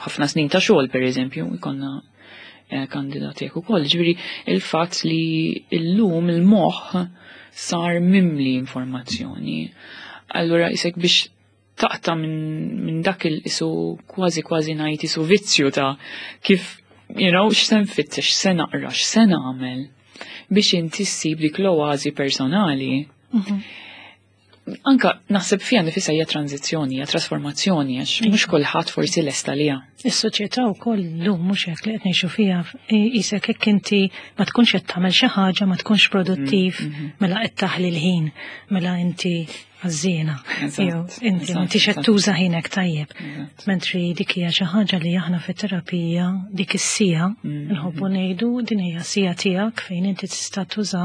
A: ħafna snin ta' xogħol, pereżempju, jkollna eh, kandidati hekk ukoll. Ġifieri il-fatt li illum il-moħħ sar mimli informazzjoni. Allura isek biex taqta minn min dak il-isu kważi kważi ngħid isu vizzju ta' kif, you know, x'se nfittex, x'se naqra, x'se nagħmel biex inti ssib dik l-oażi personali. Mhm. Anka naħseb fija nifisha hija tranzizzjoni, hija trasformazzjoni, għax mhux kulħadd forsi lesta liha.
B: Is-soċjetà wkoll llum, mhux hekk, li qed ngħixu fiha, isek hekk inti ma tkunx qed tagħmel xi ħaġa, ma tkunx produttiv, mm, mhm. mela qed taħli l-ħin, mela inti għażżiena. Jew inti m'intix qed tuża ħinek tajjeb. Mentri dik hija xi ħaġa li aħna fit-terapija dik is-siegħa mm, nħobbu mhm. ngħidu din hija siegħa tiegħek fejn inti tista' tuża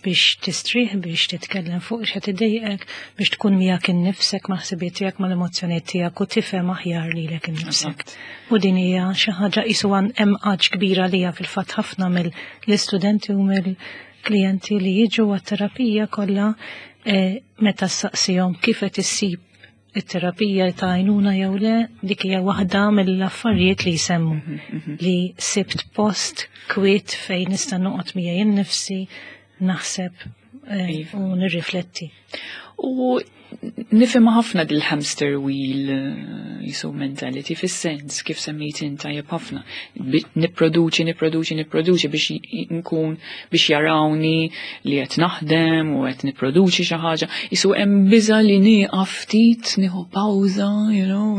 B: biex tistrieħ, biex titkellem fuq x'qed idejqek, biex tkun miegħek innifsek, ma' ħsibiet tiegħek, mal-emozzjonijiet tiegħek u tifhem aħjar lilek innifsek. U din hija xi ħaġa qisu hemm għatx kbira li fil-fatt ħafna mill-istudenti u mill-klijenti li jiġu għat-terapija kollha eh, meta ssaqsihom kif qed issib it-terapija ta' għajnuna jew le, dik hija waħda mill-affarijiet li jsemmu mhm, mhm. li sibt post kwiet fejn nista' noqgħod miegħi innifsi, naħseb eh,
A: Iva.
B: u nirrifletti.
A: U nifhem ħafna dil-hamster wheel eh, jisu mentality, fis-sens kif semmejt inta tajjeb ħafna. Bi- Nipproduċi, nipproduċi, nipproduċi biex j- nkun biex jarawni li qed naħdem u qed nipproduċi xi ħaġa. Jisu hemm biża li nieqaf ftit, nieħu pawża, you know,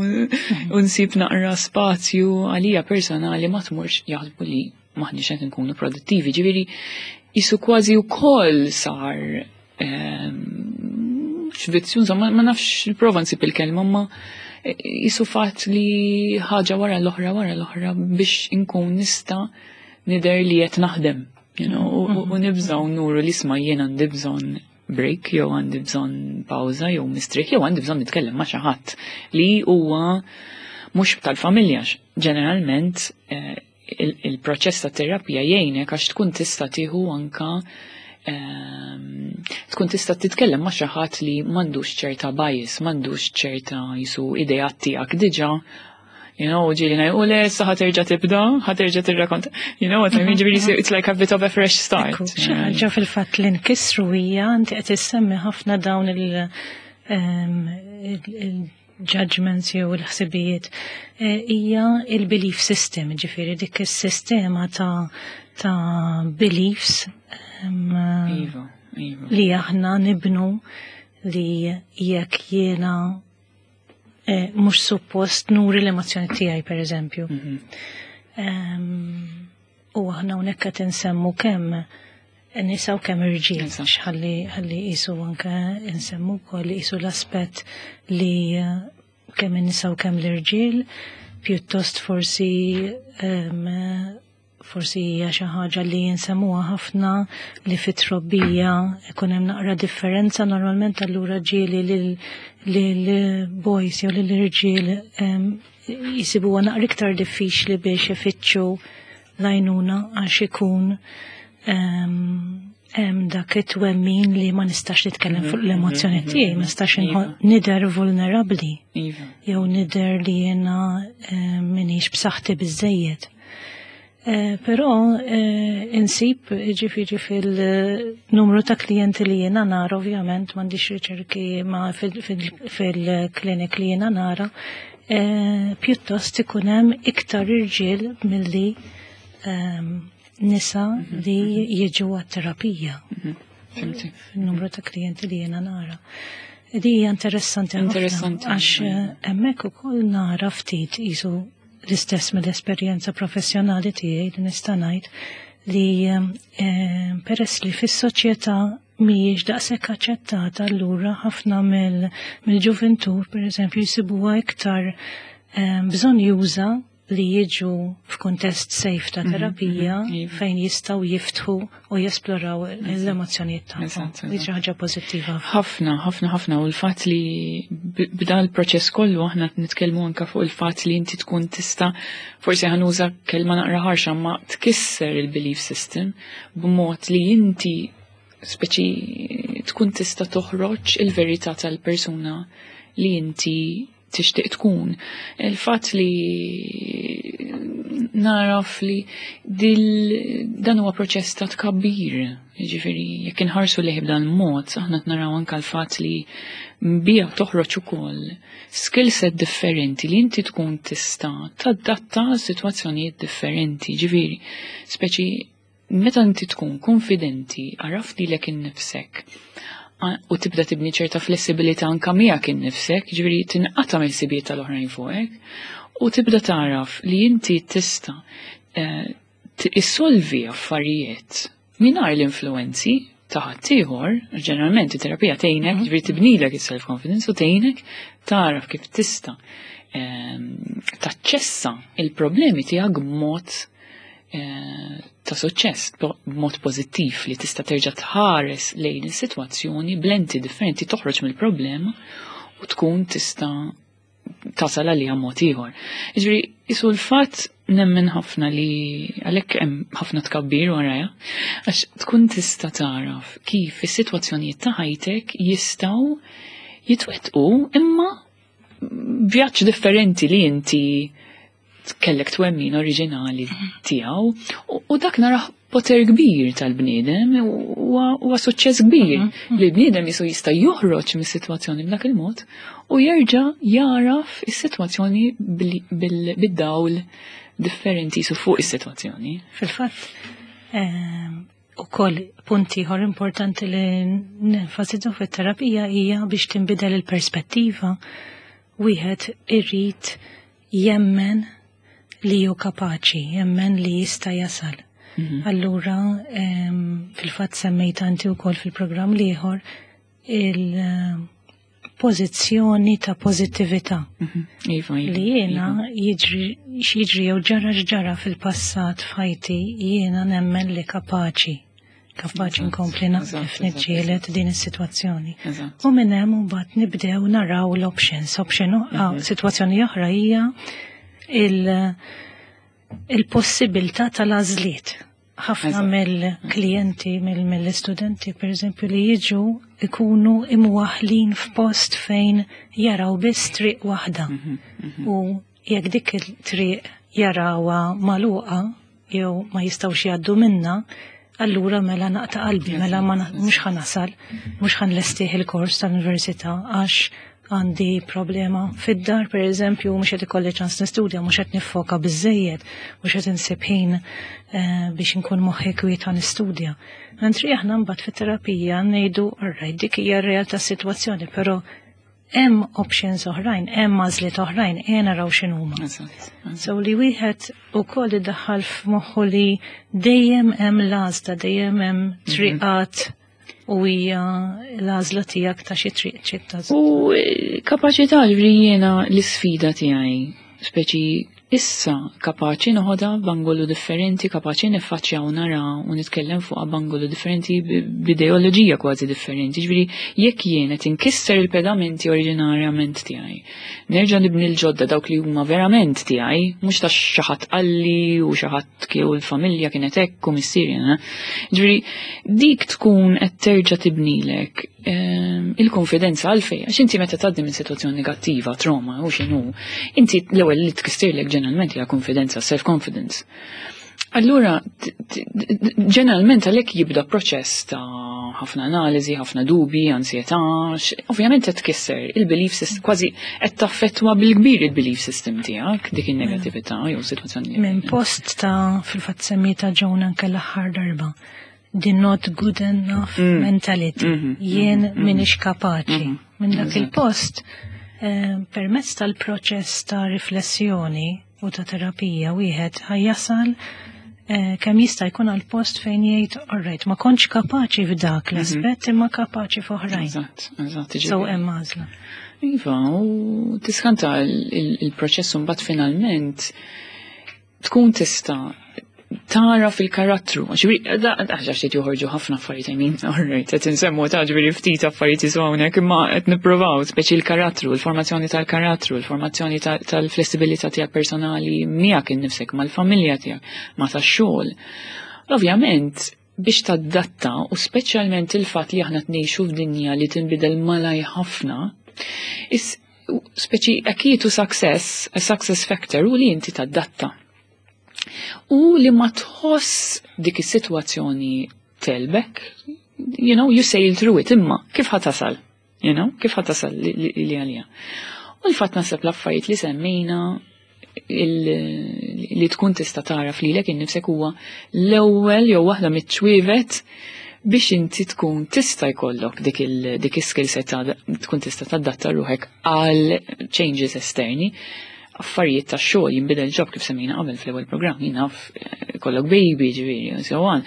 A: u nsib naqra spazju għalija personali, ma tmurx, jaħsbu li maħniex qed nkunu produttivi. Ġifieri jisu kważi wkoll sar ehm, x'vizzju, insomma, ma nafx, prova nsib il-kelma, ma jisu fatt li ħaġa wara l-oħra wara l-oħra biex inkun nista' nidher li qed naħdem, you know, u- u- u nibżaw nuru li, isma', jien għandi bżonn break, jew għandi bżonn pawża, jew mistrieħ, jew għandi bżonn nitkellem ma' xi ħadd li huwa mhux tal-familja. Ġeneralment eh, il- il-proċess ta' terapija jgħinek għax tkun tista' tieħu anka ehm, tkun tista' titkellem ma' xi ħadd li m'għandux ċerta bias, m'għandux ċerta jisu ideat tiegħek diġà. You know, ġieli ngħid, u le, issa ħa terġa' tibda, ħa terġa' tirrakonta. You know what I mean? Ġifieri it's like a bit of a fresh start.
B: Ekku, xi ħaġa fil-fatt li nkissru hija, inti qed issemmi ħafna dawn il- ehm, il- il-judgments jew il-ħsibijiet, eh, hija il-belief system, ġifieri dik is-sistema ta' ta' beliefs ehm,
A: Iva, iva.
B: li aħna nibnu li jekk jiena eh, mhux suppost nuri l-emozzjoni tiegħi, per eżempju.
A: Mhm.
B: Em, U aħna hawnhekk qed insemmu kemm nisa u kemm irġiel,
A: Eżatt.
B: ħalli ħalli qisu anke nsemmu wkoll qisu l-aspett li eh, kemm in-nisa u kemm l-irġiel pjuttost forsi em, forsi hija xi ħaġa li jinsemmuha ħafna li fit-trobbija ikun hemm naqra differenza normalment. Allura ġieli lil lil boys jew lil irġiel em, jisibuha naqra iktar diffiċli biex ifittxu l-għajnuna għax ikun em, hemm dak it-twemmin li ma nistax nitkellem fuq l-emozzjoni tiegħi, ma nistax
A: Iva.
B: inħo- nidher vulnerabbli
A: Iva.
B: jew nidher li jiena eh, minix b'saħħti biżejjed. Eh, Però eh, insib, ġifieri, fil-numru ta' klijenti li jiena nara, ovvjament m'għandix riċerki, ma fil- fil- fil-klinik li jiena nara, eh, pjuttost ikun hemm iktar irġiel milli ehm, nisa li jiġu għat-terapija
A: Fhimti.
B: fil-numru ta' klijenti li jiena nara. Di hija interessanti ħafna,
A: Interessanti,
B: għax
A: iva.
B: eh, hemmhekk ukoll nara ftit qisu l-istess mill-esperjenza professjonali tiegħi li nista' ngħid li eh, peress li fis-soċjetà mhijiex daqshekk aċċettata, allura ħafna mill- mill-ġuventur, pereżempju, jsibuha iktar eh, bżonn juża li jiġu f'kuntest safe ta' terapija
A: mhm, iva.
B: fejn jistgħu jiftħu u jesploraw l-emozzjonijiet tagħhom.
A: Eżatt,
B: Di xi ħaġa pożittiva.
A: Ħafna, ħafna, ħafna, u l-fatt li b- b'dan il-proċess kollu aħna nitkellmu anka fuq il-fatt li inti tkun tista', forsi ħa nuża kelma naqra ħarxa, ma tkisser il-belief system b'mod li inti speċi tkun tista' toħroġ il-verità tal-persuna li inti tixtieq tkun. Il-fatt li naraf li dil dan huwa proċess ta' tkabbir. Jiġifieri jekk inħarsu lejh b'dan il-mod, aħna naraw anke l-fatt li bija toħroġ ukoll skill set differenti li inti tkun tista' tadatta sitwazzjonijiet differenti. Ġifieri, speċi meta inti tkun konfidenti, għaraf lilek innifsek u tibda tibni ċerta flessibilità anka miegħek innifsek, ġifieri tinqata' mill-ħsibijiet tal-oħrajn fuqek, u tibda taraf li inti tista' eh, issolvi affarijiet mingħajr l-influenzi ta' ħaddieħor. Ġeneralment it-terapija tgħinek, ġifieri tibnilek is-self-confidence u tgħinek taraf kif tista' ehm, taċċessa il-problemi tiegħek b'mod eh, ta' suċċess, b'mod pożittiv, li tista' terġa' tħares lejn is-sitwazzjoni b'lenti differenti, toħroġ mill-problema u tkun tista' tasal għalija mod ieħor. Jiġifieri isu l-fatt nemmen ħafna li għalhekk hemm ħafna tkabbir warajha, għax tkun tista' taraf kif is-sitwazzjonijiet ta' ħajtek jistgħu jitwettqu imma vjaġġ differenti li inti kellek twemmin oriġinali tiegħu u dak narah poter kbir tal-bniedem huwa suċċess kbir mhm. li l-bniedem jisu jista' joħroġ mis-sitwazzjoni b'dak il-mod u jerġa' jaraf is-sitwazzjoni bid-dawl differenti su fuq is-sitwazzjoni.
B: Fil-fatt, ehm, ukoll punti ieħor importanti li nenfasizzu fit-terapija hija biex tinbidel il-perspettiva wieħed irrid jemmen li hu kapaċi, jemmen li jista' jasal. Mhm. Allura, fil-fatt semmejt anti wkoll fil-programm l-ieħor il-pożizzjoni ta' pożittività.
A: Mhm. Iva, iva,
B: li jiena
A: iva.
B: jiġri x'jiġri jew ġara x'ġara fil-passat f'ħajti jiena nemmen li kapaċi kapaċi nkompli naqdef niġġieled din is-sitwazzjoni. U minn hemm mbagħad nibdew naraw l-options. Option mhm. sitwazzjoni oħra hija il-possibilità tal-għażliet. Ħafna mill-klijenti, mill-istudenti, per eżempju, li jiġu ikunu imwaħlin f'post fejn jaraw biss triq waħda.
A: Mhm, mhm.
B: U jekk dik il-triq jarawha magħluqa jew ma jistgħux jgħaddu minna, allura mela naqta' qalbi, mela ma mhux ħa nasal, mhux ħa nlestih il-kors tal-università għax għandi problema fid-dar, per eżempju, mhux qed ikolli ċans nistudja, mhux qed niffoka biżejjed, mhux qed insib ħin eh, biex inkun moħħi kwiet nistudja. Mentri aħna mbagħad fit-terapija ngħidu, alright, dik hija r-realtà sitwazzjoni, però hemm options oħrajn, hemm għażliet oħrajn, ejja naraw x'inhuma. So li wieħed ukoll iddaħħal f'moħħu li dejjem hemm l-għażla, dejjem hemm mhm. triqat u hija l-għażla tiegħek ta' xi triq trid
A: tagħżel. U eh, kapaċità li jiena l-isfida tiegħi, speċi issa kapaċi noħodha b'angolu differenti, kapaċi niffaċċja u nara u nitkellem fuqha b'angolu differenti b'ideoloġija kważi differenti. Ġifieri jekk jien qed inkisser il-pedamenti oriġinarjament tiegħi, nerġa' nibni l-ġodda dawk li huma verament tiegħi, mhux ta' xi ħadd qalli u xi ħadd kieku l-familja kienet hekk u missieri. Eh? Ġifieri dik tkun qed terġa' tibnilek ehm, il-konfidenza għalfej, għax inti meta tgħaddi minn sitwazzjoni negattiva, trauma u x'inhu, inti l-ewwel li tkissirlek ġeneralment hija konfidenza, self-confidence. Allura, ġeneralment għalhekk jibda proċess ta' ħafna analiżi, ħafna dubi, ansjetà, ovvjament qed tkisser il-belief system, kważi qed taffettwa bil-kbir il-belief system tiegħek dik in-negattività jew sitwazzjoni.
B: Minn post ta' fil-fatt semmita Joan anke l-aħħar darba. The not good enough mm. mentality. Mm -hmm. Jien mm -hmm. minix kapaċi. Mm -hmm. Minn dak il-post, eh, permezz tal-proċess ta' riflessjoni u ta' terapija wieħed ħa jasal eh, kemm jista' jkun għal post fejn jgħid alright, ma kontx kapaċi f'dak mhm. l-aspett imma kapaċi f'oħrajn.
A: Eżatt, eżatt.
B: So hemm għażla.
A: Iva, u tiskanta il-proċess mbagħad finalment tkun tista' tara fil-karattru, għax ftit joħorġu ħafna affarijiet, I mean, alright, qed insemmu ta' ġifieri ftit affarijiet jisu hawnhekk, imma qed nippruvaw, speċi l-karattru, l-formazzjoni tal-karattru, l-formazzjoni tal-flessibilità tiegħek personali miegħek innifsek, mal-familja tiegħek, ma' tax-xogħol. Ovvjament, biex tadatta u speċjalment il-fatt li aħna tnejxu f'dinja li tinbidel malaj ħafna, is speċi a key to success, a success factor u li inti tadatta. U li ma tħoss dik is-sitwazzjoni telbek, you know, you sail through it, imma kif ħa tasal, you know, kif ħa tasal li, li, li għalija. U l-fatt naħseb l-affarijiet li semmejna il- li tkun tista' tara lilek innifsek huwa l-ewwel jew waħda miċ-ċwievet biex inti tkun tista' jkollok dik il dik is-skill set ta' tkun tista' tadatta ruħek għal changes esterni affarijiet ta' xogħol jinbidel job kif semmejna qabel fl-ewwel programm jien naf eh, kollok baby ġifieri so on.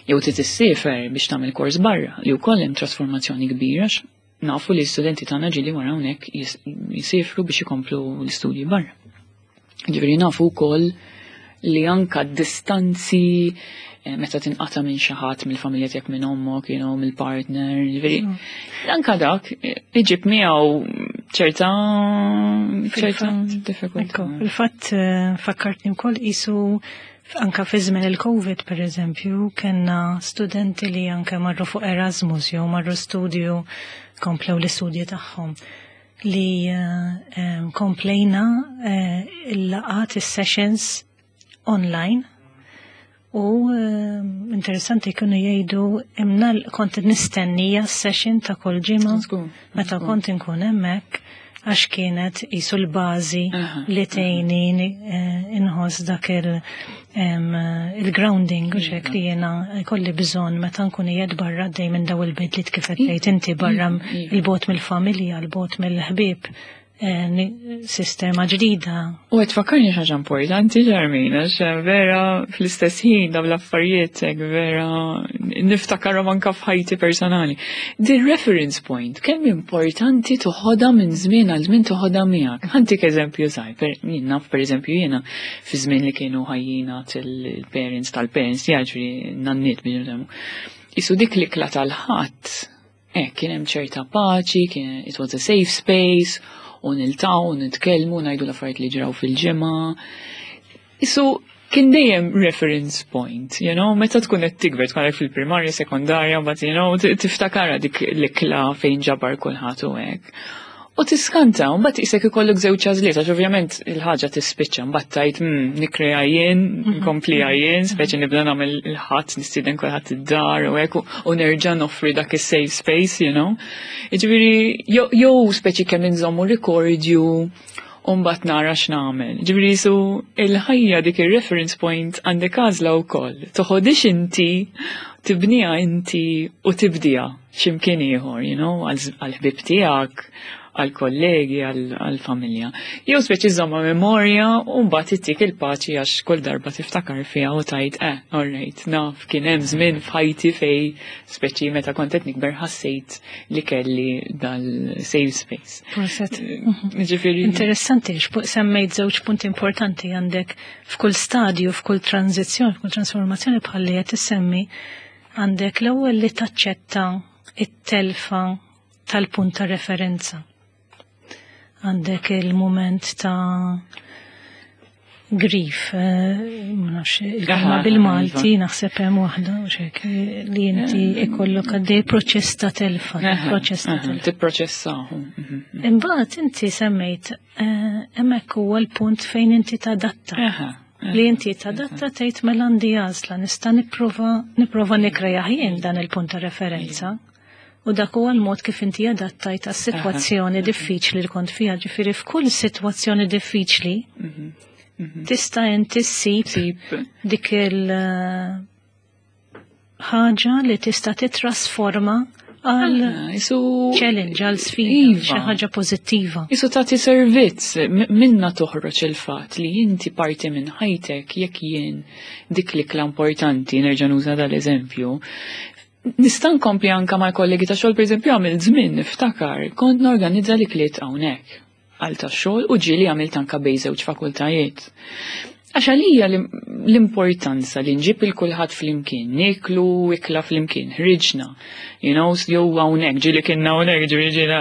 A: Jew trid issiefer biex tagħmel kors barra li wkoll hemm trasformazzjoni kbira għax nafu li l-studenti tagħna ġieli wara hawnhekk jis- jisifru biex ikomplu l-istudji barra. Ġifieri nafu wkoll li anka distanzi eh, meta tinqata minn xi ħadd mill-familja tiegħek minn ommok, you know, mill-partner, ġifieri anka dak eh, iġib miegħu ċerta ċerta diffikultà.
B: Ekku, Fil-fatt eh, fakkartni wkoll isu anka fi żmien il-Covid per eżempju, kellna studenti li anke marru fuq Erasmus jew marru studju komplew l-istudji tagħhom. li eh, komplejna eh, il-laqgħat, is-sessions online u eh, interessanti kienu jgħidu imna kont nistennija session ta' kull ġimgħa meta kont inkun hemmhekk, għax kienet qisu l-bażi li tgħinni inħoss dak il-grounding u hekk li jiena kolli bżonn meta nkun qiegħed barra dej minn daw il-bidliet, kif qed tgħid inti, barra, 'il bogħod mill-familja, 'il bogħod mill-ħbieb, sistema ġdida.
A: U qed tfakkarni ħaġa importanti, Ġarmin, għax vera fl-istess ħin daw l-affarijiet vera niftakarhom anka f'ħajti personali. The reference point, kemm importanti toħodha minn żmien għal żmien, toħodha miegħek. Ħa ntik eżempju żgħir, jien naf, pereżempju, jiena fi żmien li kienu ħajjin il-parents tal-parents, jiġifieri nanniet biex. Isu dik l-ikla tal-Ħadd, eh, kien hemm ċerta paċi, kien it was a safe space, u niltaqgħu, nitkellmu, ngħidu l-affarijiet li ġraw fil-ġimgħa. Isu kien dejjem reference point, you know, meta tkun qed tikber, tkun fil-primarja, sekondarja, but you know, tiftakara dik l-ikla fejn ġabar kulħadd u hekk. U tiskanta, u mbagħad isek ikollok żewġ għażliet, għax ovvjament il-ħaġa tispiċċa, mbagħad tgħid mm, nikkrea jien, nkompli jien, speċi nibda nagħmel il-Ħadd, nistieden kulħadd id-dar u hekk u nerġa' noffri dak is-safe space, you know. Jiġifieri jew speċi kemm inżommu rikordju u mbagħad nara x'nagħmel. Ġifieri su il-ħajja dik ir-reference point għandek għażla wkoll. Toħodix inti, tibniha inti u tibdija x'imkien ieħor, you know, għal-ħbib tiegħek, għal-kollegi, għal-familja. Jew speċi żomma memorja u mbagħad ittik il-paċi għax kull darba tiftakar fiha u tgħid, "Eh, all right, naf kien hemm żmien f'ħajti fej speċi meta kont qed nikber ħassejt li kelli dal-safe space."
B: Proset.
A: Ġifieri.
B: Interessanti, semmejt żewġ punti importanti għandek f'kull stadju, f'kull tranzizzjoni, f'kull trasformazzjoni bħalli qed issemmi, għandek l-ewwel li taċċetta it-telfa tal-punt ta' referenza. Għandek il-moment ta' grief, eh, ma nafx, il-kelma bil-Malti, iva. naħseb hemm waħda, u hekk, li inti ikollok għaddej proċess ta' telfa, proċess ta' telfa.
A: Tipproċessahu. Mhm,
B: mhm. Imbagħad inti semmejt eh, hemmhekk huwa l-punt fejn inti tadatta. Li inti tadatta, tgħid mela għandi għażla, nista' nipprova nipprova nikkrea jien dan il-punt ta' referenza. U dak huwa l-mod kif inti adattajt għas-sitwazzjoni diffiċli li kont fiha, ġifieri f'kull sitwazzjoni diffiċli
A: Mhm, mhm.
B: tista' inti ssib
A: Sib.
B: dik il eh, ħaġa li tista' titrasforma għal
A: Ah, Isu.
B: challenge, għal sfida,
A: Iva.
B: xi ħaġa pożittiva.
A: Isu tagħti servizz, m- minna toħroġ il-fatt li inti parti minn ħajtek, jekk jien dik l-ikla importanti, nerġa' nuża dal-eżempju, nista' nkompli anka mal-kollegi ta' xogħol, pereżempju, għamil żmien niftakar, kont norganizza l-ikliet hawnhekk għal ta' xogħol u ġieli għamilt anka bejn żewġ fakultajiet. Għax għalija l- l-importanza li nġib il-kulħadd flimkien, niklu ikla flimkien, ħriġna, you know, jew hawnhekk, ġieli kienna hawnhekk, ġieli ġieli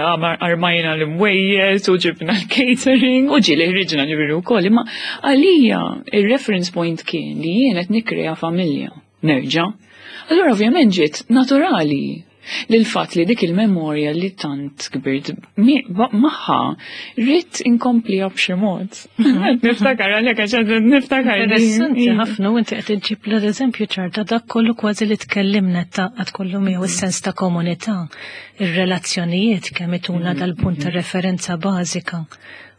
A: armajna l-imwejjed u ġibna l-catering u ġieli ħriġna ġifieri wkoll, imma għalija il-reference point kien li jien qed nikkrea familja. Nerġa'. Allura ovvjament ġiet naturali li l-fatt li dik il-memorja li tant kbirt mi- ba- magħha rrid inkompliha b'xi mod. Niftakar għalhekk, għax qed niftakar.
B: Interessanti ħafna, u inti qed iġġib l-eżempju ċar ta' dak kollu kważi li tkellimna taqgħad kollu miegħu, is-sens ta' komunità, ir-relazzjonijiet kemm ituna dal-punt ta' referenza bażika.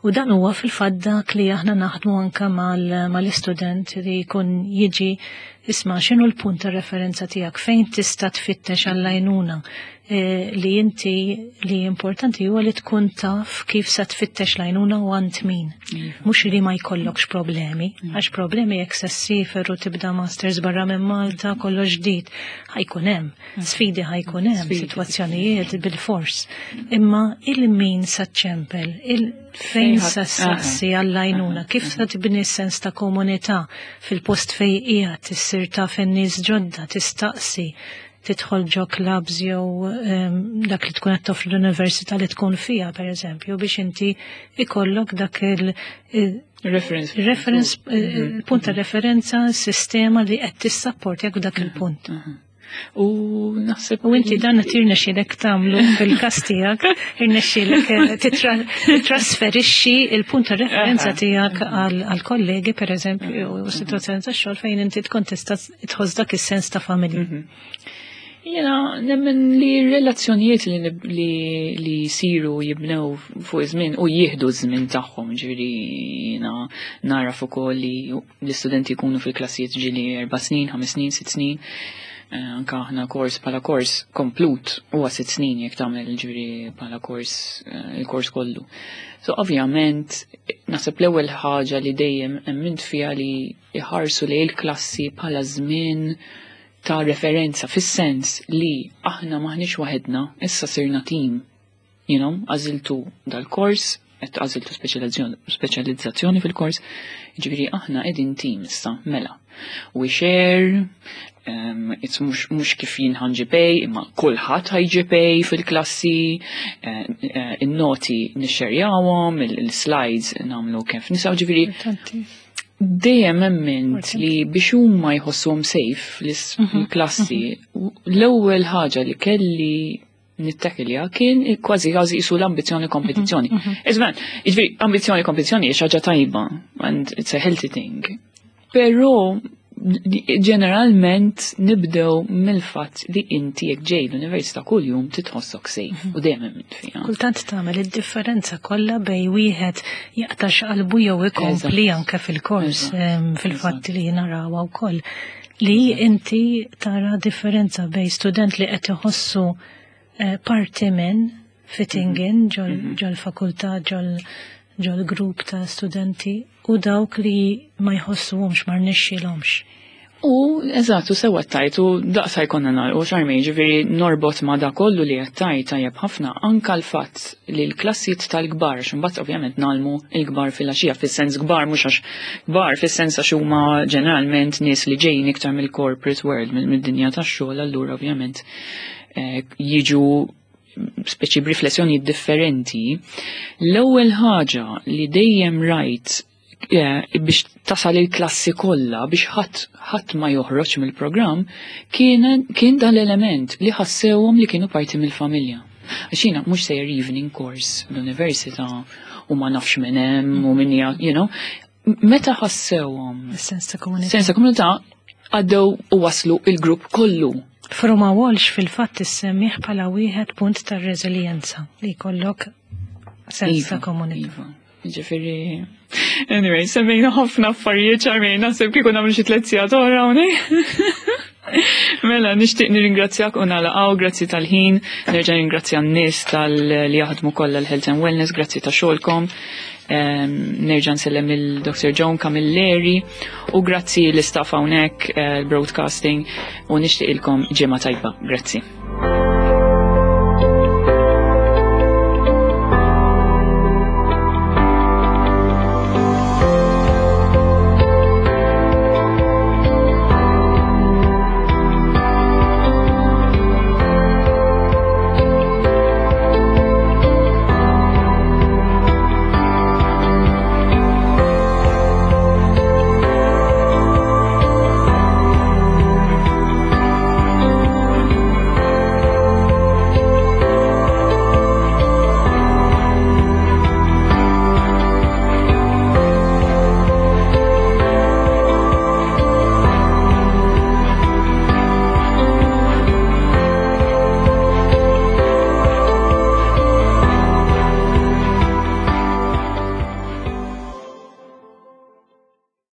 B: U dan huwa fil-fatt dak li aħna naħdmu anka mal- mal-istudent li jkun jiġi, isma', x'inhu l-punt ta' referenza tiegħek, fejn tista' tfittex għall-għajnuna, eh, li inti li importanti huwa li tkun taf kif sa tfittex l-għajnuna u għand min. Mhux li ma jkollokx problemi, għax problemi jekk se ssiefer u tibda masters barra minn Malta, kollox ġdid, ħa jkun hemm, sfidi ħa jkun hemm,
A: Sfidi.
B: sitwazzjonijiet bil-fors. Imma il-min sa ċempel, il fejn
A: Fejn
B: sa
A: ħa-
B: saqsi għall-għajnuna, kif sa tibni sens ta' komunità fil-post fej qiegħed, issir taf in-nies ġodda, tistaqsi, tidħol ġo clubs jew em, dak li tkun qed toffri l-università li tkun fiha, pereżempju, biex inti ikollok dak il- il-
A: Reference.
B: reference, il-punt ta' referenza, sistema li qed tissapportjak dak il-punt.
A: U naħseb.
B: U inti dan tirnexxielek tagħmlu fil-każ tiegħek, irnexxielek eh, titrasferixxi il-punt ta' referenza tiegħek għal kollegi, pereżempju, u situazzjoni ta' xogħol fejn inti tkun tista' tħoss dak is-sens ta' familja.
A: Mhm. Jena nemmen li relazzjonijiet li, li, li jisiru jibnew fuq iż-żmien u jieħdu ż-żmien tagħhom, ġifieri jiena naraf ukoll li l-istudenti jkunu fil-klassijiet ġieli erba' snin, ħames snin, sitt snin. Eh, anka aħna kors bħala kors komplut huwa sitt snin jekk tagħmel, ġifieri bħala kors eh, il-kors kollu. So ovvjament naħseb l-ewwel ħaġa li dejjem emmint fiha li jħarsu li il-klassi bħala żmien ta' referenza, fis-sens li aħna maħniex waħedna, issa sirna team. You know, għażiltu dal-kors, qed għażiltu speċjalizzazzjoni fil-kors, ġifieri aħna qegħdin team issa, mela. We share, um, it's mhux, mhux kif jien ħa nġib A, imma kulħadd ħa jġib A fil-klassi, uh, uh, in-noti nixxerjawhom, il-slides nagħmlu kif nistgħu, ġifieri dejjem emmint li biex huma jħossuhom safe l-klassi, l-ewwel ħaġa li kelli nittakilja kien kważi kważi jisu l-ambizjoni kompetizzjoni. Iżman, jiġifieri ambizjoni kompetizzjoni hija ħaġa tajba and it's a healthy thing. Però ġeneralment nibdew mill-fatt li inti jekk ġej l-università kuljum titħossok safe u dejjem emmint fiha.
B: Kultant tagħmel id-differenza kollha bejn wieħed jaqtax qalbu jew ikompli anke fil-kors, fil-fatt li narawha wkoll. Li inti tara differenza bejn student li qed iħossu eh, parti minn fitting in ġol fakultà, ġol ġol grupp ta' studenti, u dawk li ma jħossuhomx, ma rnexxilhomx.
A: U eżatt, u sewa tajt, u daqsa jkollna nar, u xarmi, ġifieri norbot ma da kollu li għattajt tajjeb ħafna, anka l-fatt li l-klassijiet tal-kbar, x'imbagħad ovvjament ngħallmu il-kbar fil-għaxija, fis-sens kbar, mhux għax kbar, fis-sens għax huma ġeneralment nies li ġejjin iktar mill-corporate world, mill-dinja tax-xogħol, allura ovvjament eh, jiġu speċi b'riflessjoni differenti. L-ewwel ħaġa li dejjem rajt eh, biex tasal il-klassi kollha biex ħadd ħadd ma joħroġ mill-programm kien kien dan l-element li ħassewhom li kienu parti mill-familja. Għax jiena mhux sejjer evening course l-università u ma nafx minn hemm u min hija, you know, meta ħassewhom
B: Sens ta' komunità.
A: Sens ta' komunità, għaddew u waslu il-grupp kollu.
B: Fruma Walsh fil-fatt issemmih bħala wieħed punt ta' reżiljenza li jkollok sens ta'
A: Iva,
B: komunità.
A: Iva. Ġifieri, anyway, semmejna ħafna affarijiet, ċarmejna, naħseb kieku nagħmlu xi tliet sigħat oħra hawnhekk. Mela, nixtieq nirringrazzjak u nagħlaqgħu, grazzi tal-ħin, nerġa' nirringrazzja n-nies tal-li jaħdmu kollha l-Health and Wellness, grazzi ta' xogħolkom. Em, Nerġa' nsellem il-Doctor Joan Camilleri u grazzi l-istaff hawnhekk, eh, l-broadcasting, u nixtieq ilkom ġimgħa tajba. Grazzi.